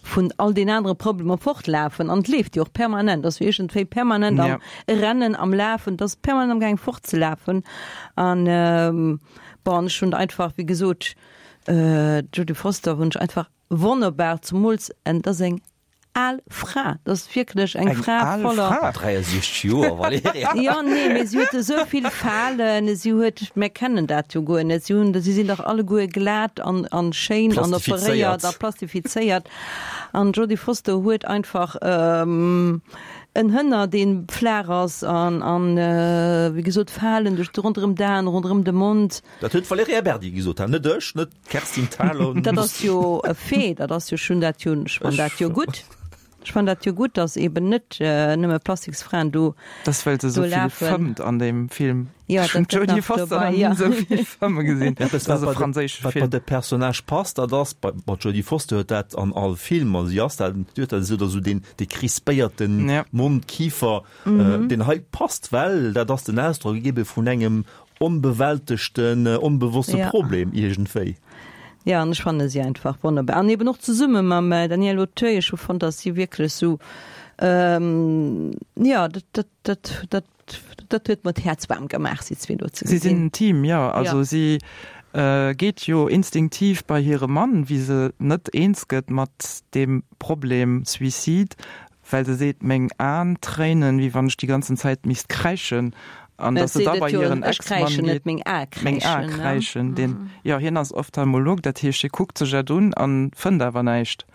vun all den anere Problemer fortlafen. An et leeft jo och permanent, ass jo iergendwéi permanent am Ja. Rennen, am Lafen, et ass permanent am gaang fortzelafen. An, bon, ech hunn einfach, wéi gesot, D'Jodie Foster hunn ech einfach wonnerbar, zemools en et ass eng al Fra, dat ass wierklech eng Fra voller. Eng al Fra? dräiasechzeg Joer, Valerija. Jo, nee, mee si huet esou vill Falen, si huet, mär kennen dat jo guer net, si hunn, si sinn dach alleguer glat an, an schéin an operéiert a plastifizéiert. An d'Jodie Foster huet einfach en Hënner, dee flaach ass an, an wéi gesot, Falen duerch, ronderëm d'Aen, ronderëm de Mond. Dat huet d'Valerija Berdi gesot, net ech, net d'Kerstin Thalau. Dat ass jo e Fait, dat ass jo, ech hunn dat jo, ech fannen dat jo gutt. Ech fannen dat jo gutt, datt eben net nëmme Plastiksfraen do Dat ass, well se esou vill fëmmt an deem Film. Jo, Ech hunn dat gëtt d'Jodie nach Foster dobei, nach ni jo. esou vill fëmme gesinn. Eppes, Dat ass wat e bei de, franséische wat bei Film. de Personnage passt, dat ass, bei, bei d'Jodie Foster huet dat an all Film, also si ass dat, si huet dat esou, dat esou deen, dee crispéierte Ja. Mond, Kifer, äh, deen hei passt, well dat ass den Ausdrock ebe vun engem onbewältegten, onbewosste Ja. Problem iergendwéi. Ja, an ech fanne si einfach wonnerbar. An eben och zesumme mam Daniel Auteuil, ech hu fonnt, datt si wierklech esou, ähm, ja, dat, dat, dat, dat, dat huet mer d'Häerz waarm gemaach, si zwee do ze Si sinn gesinn. en Team, jo. Also Ja. si geet jo instinktiv bei hire Mann, wéi se net eens gëtt mat deem Problem Suicide, well se seet, meng Aen tréinen, wéi wann ech déi ganzen Zäit misst kräischen. An Mä datt se seet da et bei jo, hiren ech Ex-Mann kräischen net, geet, meng Ae meng Ae kräischen, ne? kräischen. Deen, jo, hien ass Ophtalmolog, dat heescht, hie kuckt sech dat un a fënnt awer näischt.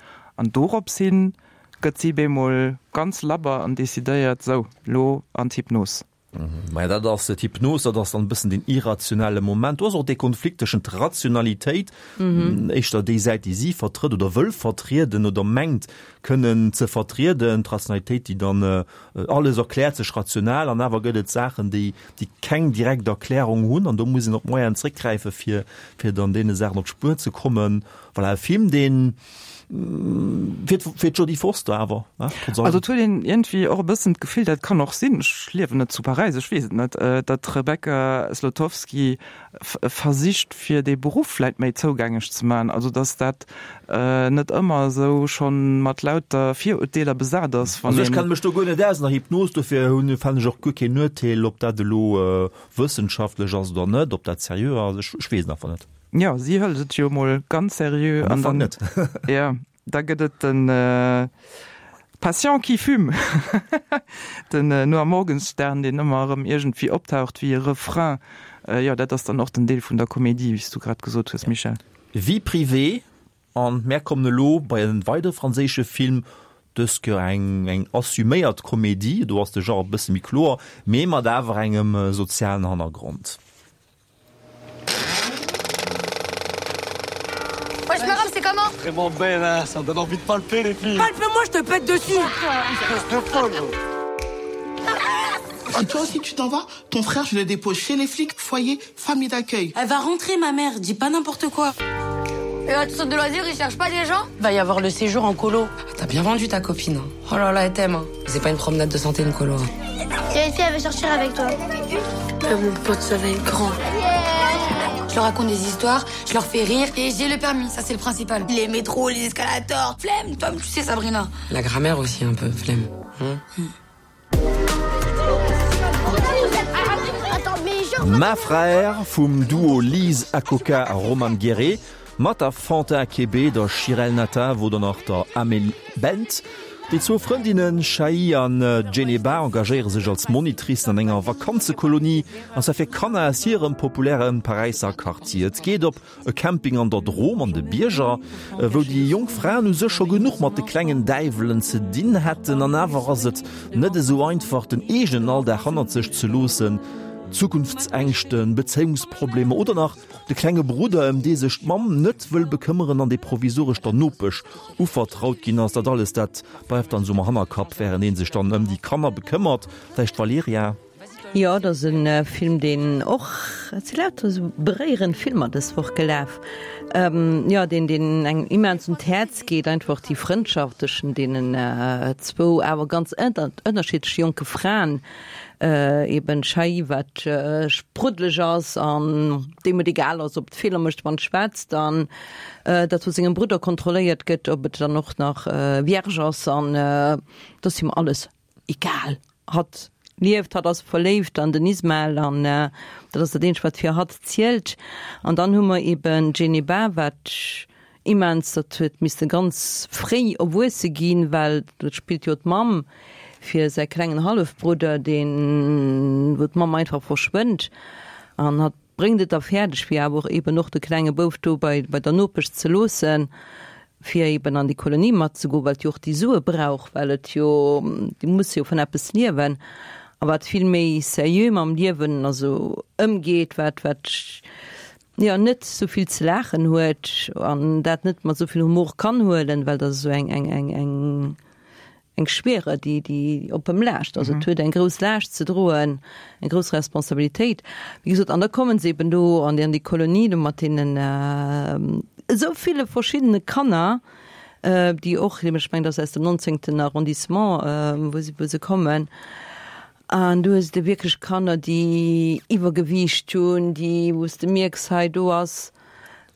An dorops hin gëtt si bemol ganz labber an decidéiert, sou, lo an d'Hypnos. Maja, dat ass d'Hypnos, dat ass dann e bëssen den irrationelle Moment. Do ass och dee Konflikt tëschent Rationalitéit, éischter déi Säit, déi si vertrëtt oder wëll vertrieden oder mengt kënnen ze vertrieden, d'Rationalitéit, déi dann alles erkläert sech rational, an awer gëtt et Saachen, déi, déi keng direkt Erklärung hunn, an do muss een op Moyenen zréckgräifen, fir, fir dann deene Saachen op d'Spuer ze kommen. Voilà, e Film, deen Fir fir d'Jodie Foster awer, ne, trotz allem. Also et huet een iergendwéi och e bëssen d'Gefill, dat kann och sinn, ech liewen net zu Paräis, ech weess et net, datt d'Rebecca Zlotowski versicht fir dee Beruff vläit méi zougänglech ze maachen, also datt dat net ëmmer esou schonn mat lauter Virurteeler besat ass, wann Also ech een. kenne mech do guer net aus an der Hypnos, dofir hunn fällen ech och guer keen Urteel, ob dat elo wëssenschaftlech ass oder net, ob dat seriö ass, ech ech weess et einfach net. Jo, si hëlt et jo mol ganz seriö Am an Ufank dann, net. jo, da gëtt et den Patient qui fume, den Noah Morgenstern, deen ëmmer erëm iergendwéi optaucht wéi e Refrain. Jo, dat ass dann och den Deel vun der Komedie, wéi s du grad gesot hues, Michèle. Vie privée, an mär kommen elo bei en weidere franséische Film, dës Kéier eng eng assuméiert Komedie, do ass de Genre e bësse méi kloer, mee mat awer engem sozialen Hannergrond. Wesh Maram, c'est comment Vraiment belle, hein Ça me donne envie de palper les filles. Palpe-moi, je te pète dessus. Espèce de folle. Ah, toi aussi tu t'en vas ton frère je le dépose chez les flics foyer famille d'accueil elle va rentrer ma mère dis pas n'importe quoi et là, tu sautes de loisirs ils cherchent pas des gens va y avoir le séjour en colo t'as bien vendu ta copine hein. oh là là elle t'aime hein. c'est pas une promenade de santé une colo hein. il y a une fille elle veut sortir avec toi euh, mon pote ça va être grand je leur raconte des histoires je leur fais rire et j'ai le permis ça c'est le principal les métros les escalators flemme toi tu sais Sabrina la grammaire aussi un peu flemme hein mm. Ma Frère vum Duo Lise Akoka a Romane Gueret, mat der Fanta Kébé, der Shirel Natav oder nach der Amélie Bent. Déi zwou Frëndinnen Shai an Djeneba engagéiere sech als Monitricen an enger Vakanzekolonie, an zwar fir Kanner aus hirem populäre Paräisser Quartier. Et geet op e Camping an der Drôme an de Bierger, wou déi jonk Fraen u sech scho genuch mat de klengen Däiwelen ze dinn hätten. An awer ass et net esou einfach, den eegenen Alldag hannert sech ze loossen. Zukunftsängschten, Bezéiungsproblemer oder nach de klenge Brudder, ëm dee sech d'Mamm net wëll bekëmmeren an dee provisoresch der Nopesch uvertraut ginn ass. Dat alles, dat bleift dann esou am Hannerkapp, wärend ee sech dann ëm déi Kanner bekëmmert. Vläicht d'Valerija? Jo, et ass e Film, deen och, et si lauter esou beréierend Filmer dës Woch gelaf, jo, deen, deen engem immens un d'Häerz geet, einfach déi Frëndschaft tëschent deenen zwou awer ganz ënnerschiddleche jonke Fraen, eben d'Shai, wat spruddeleg ass an deem et egal ass, ob et Feeler mécht, wann et schwätzt, an dat vu sengem Brudder kontrolléiert gëtt, ob et dann och nach vierge ass, an et ass him alles egal. Hatt lieft. Hatt ass verléift an den Ismael an dat ass dat eenzegt, wat fir hatt zielt. An dann hu mer eben d'Djeneba, wat immens, dat huet misste ganz fréi erwuesse ginn, well dat spillt jo d'Mamm fir säi klengen Hallefbrudder, deen, wou d'Mamm einfach verschwënnt an hatt bréngt et da fäerdeg, fir awer och eben och de klenge Bouf do bei, bei der Nopesch ze loossen, fir eben an déi Kolonie matzegoen, well et jo och déi Sue brauch, well et jo, déi musse jo vun eppes liewen, a wat vill méi seriö mam Liewen also ëmgeet, wat, wat jo net esou vill ze laachen huet an dat net mat esou vill Humor kann huelen, well dat esou eng, eng, eng, eng, eng Schwere, déi, déi op em laascht. Also et huet eng grouss Laascht ze droen, eng grouss Responsabilitéit. Wéi gesot, an da kommen se eben do an déi, an déi Kolonie do mat deenen esou ville verschiddene Kanner, déi och, ech mengen, dat ass aus dem nonzéngten Arrondissement, wou se, wou se kommen. An du hues de wierklech Kanner, déi Iwwergewiicht hunn, déi, wou s de mierks, hei do ass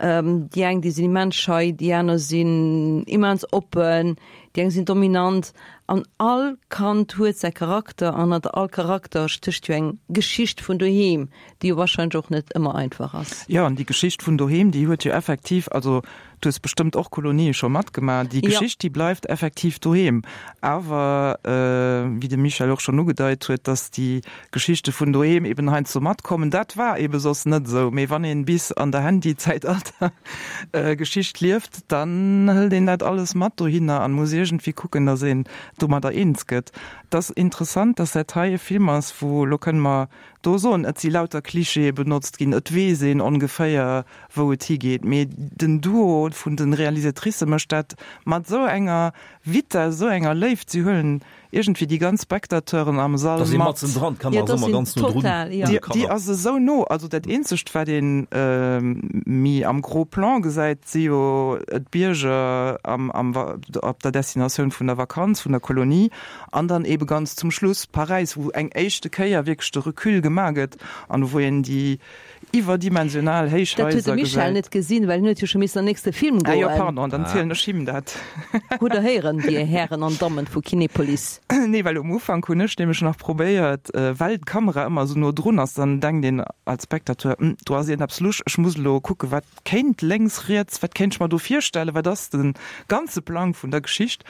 déi eng, déi sinn immens schei, déi aner sinn immens oppen, déi eng sinn dominant. An all Kand huet säi Charakter an hanner all Charakter stécht jo eng Geschicht vun doheem, déi jo warscheinlech och net ëmmer einfach ass. Jo, an déi Geschicht vun doheem, déi huet jo effektiv, also du hues bestëmmt och Kolonië scho matgemaach, déi Geschicht, déi bleift effektiv doheem. Awer, wéi de Michel och schonn ugedeit huet, dass déi Geschichte vun doheem eben heiansdo matkommen, dat war ebe soss net esou. Mee wann een bis an der Handy-Zäitalter Geschicht lieft, dann hëlt een dat alles mat dohinner an muss iergendwéi kucken, dass een domadder eens gëtt. Et ass interessant, dass dat hei e Film ass, wou, elo kënne mer do soen, et si lauter Klischeeë benotzt ginn, et weess een ongeféier, wou et higeet, mee den Duo vun de Realisatricë mécht dat mat esou enger Vitess, esou enger Léift, si huelen iergendwéi déi ganz Spectateuren am Sall Da si mat. matzen dran, d'Kamera ass ëmmer ganz no drun Total, jo. un de Déi Kanner. ass esou no, also dat eenzegt, wat ee méi am Gros Plan gesäit, si jo d'Bierger am, am, op der Destinatioun vun der Vakanz, vun der Kolonie, an dann eebe ganz zum Schluss Paräis, wou eng éischte Kéier wierklech de Recul gemaach gëtt an wou een déi iwwerdimensional Dat huet de Héichhaiser Michel gesäit. net gesinn, well hien huet jo scho missen an nächste Film Ah jo, goen. pardon, dann zielen ech him dat. Hutt Der héieren, Dir Hären an Dammen vu Kinepolis? Nee, well um Ufank hunn ech nämlech nach probéiert, well d'Kamera ëmmer esou no drun ass, dann denkt een als Spectateur, Hm, do ass iergendeppes lusch, ech muss elo kucken, wat kéint lénks, riets, wat kéint ech mer do virstellen, wat ass de ganze Plang vun der Geschicht?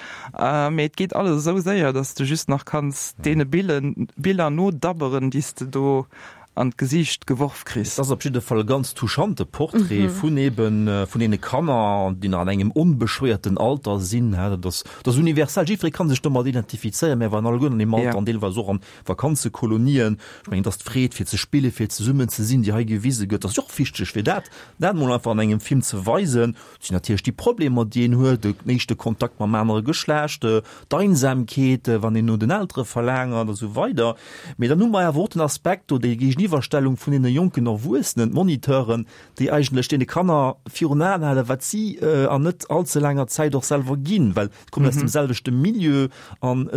Mee et geet alles esou séier, dass s de just nach kanns deene Biller nodabberen, déi s de do an d'Gesiicht geworf kriss. Et ass op jidde Fall e ganz touchante Portrait vun eben vun deene Kanner, déi nach an engem onbeschwéierten Alter sinn. Dat ass, dat ass universell, jiddweree kann sech domat identifizéieren. Mär waren alleguerten an deem Alter an deelweis och an Vakanzekolonien. Ech mengen, et ass d'Freed fir ze spillen, fir zesummen ze sinn, déi hei gewise gëtt. Dat ass jo och wichteg, fir dat, dat emol einfach an engem Film ze weisen. Et sinn natierlech déi Problemer, déi een huet, den éischte Kontakt mam anere Geschlecht, d'Einsamkeet, wann een no den Eltere verlaangert a sou weider. Mee dann hu mer awer och den Aspekt do, déi Géigeniwwerstellung vun deene jonken Erwuessenen, d'Moniteuren, déi eigentlech deene Kanner virun Aen halen, wat si an net allze laanger Zäit och selwer ginn, well se kommen aus dem selwechte Milieu an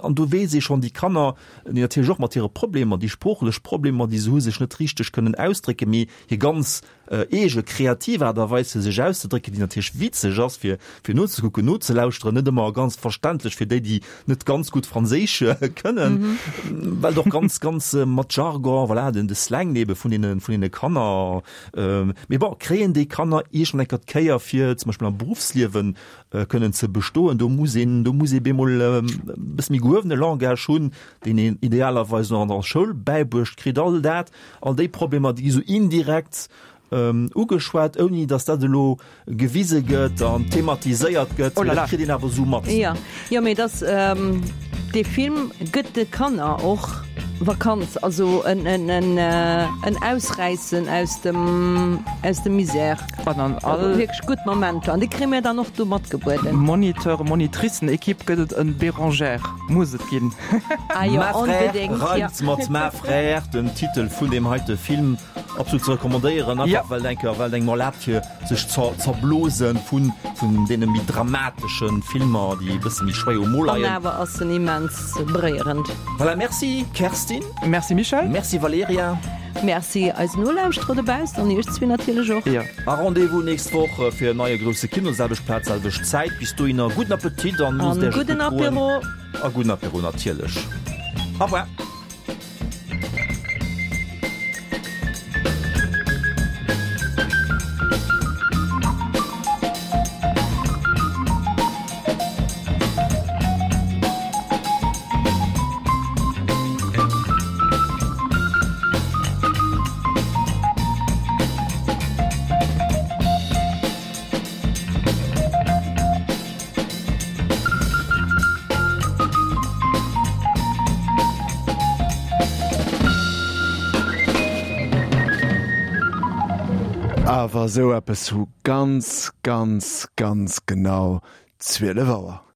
an do weess ee schonn, déi Kanner, déi natierlech och mat hire Problemer, déi sproochlech Problemer, déi se hu, sech net richteg kënnen ausdrécken, mee hir ganz eege kreativ Aart a Weis fir sech auszedrécken, déi natierlech witzeg ass fir fir nozekucken, nozelauschteren, net ëmmer ganz verständlech fir déi, déi net ganz gutt Franséisch kënnen, well et och ganz, ganz mat Jargon, voilà, den de Slang ebe vun deene vun deene Kanner. Mee bon, kréien déi Kanner iergend eng Kéier fir zum Beispill am Beruffsliewen kënnen ze bestoen, do muss een do muss ee bemol e bësse méi gehuewene Langage hunn, deen een idealerweis nach an der Schoul bäibruecht kritt. All dat, all déi Problemer, déi gi sou indirekt ugeschwat, ouni datt dat elo gewise gëtt an thematiséiert gëtt. Oh là Mee dat là. kritt een awer esou mat. Jo, jo, mee dass dee Film gëtt de Kanner och Vakanz, also en, en, en, en Ausräissen aus dem, aus dem Misère. An an all. Wierklech gutt Momenter an déi kréie mir dann och do matgebueden. Moniteur, Monitricen-Equipe gëtt et en Bérangère, muss et ginn. Ah jo, Ma frère onbedéngt, jo. reimt mat ma frère, den Titel vun deem heite Film. Absolut ze recommandéieren, einfach Ja. well et enker, well et engem erlaabt fir sech ze zerblosen vun, vun deene méi dramateschen Filmer, déi e bësse méi schwéier um Mo An leien. awer ass en immens beréierend. Voilà, merci Kerstin. Merci Michel. Merci Valerija. Merci eisen Nolauschterer dobaussen an iech zwee natierlech och. Ja. A Rendez-vous nächst Woch fir en neie grousse Kino, selwecht Plaz, selwecht Zäit. Bis dohinner gudden Appetit an loosst An Iech et gudden gutt goen. Apéro. A gudden Apéro natierlech. Au revoir. Awer esou eppes vu ganz, ganz, ganz genau zwielef Auer.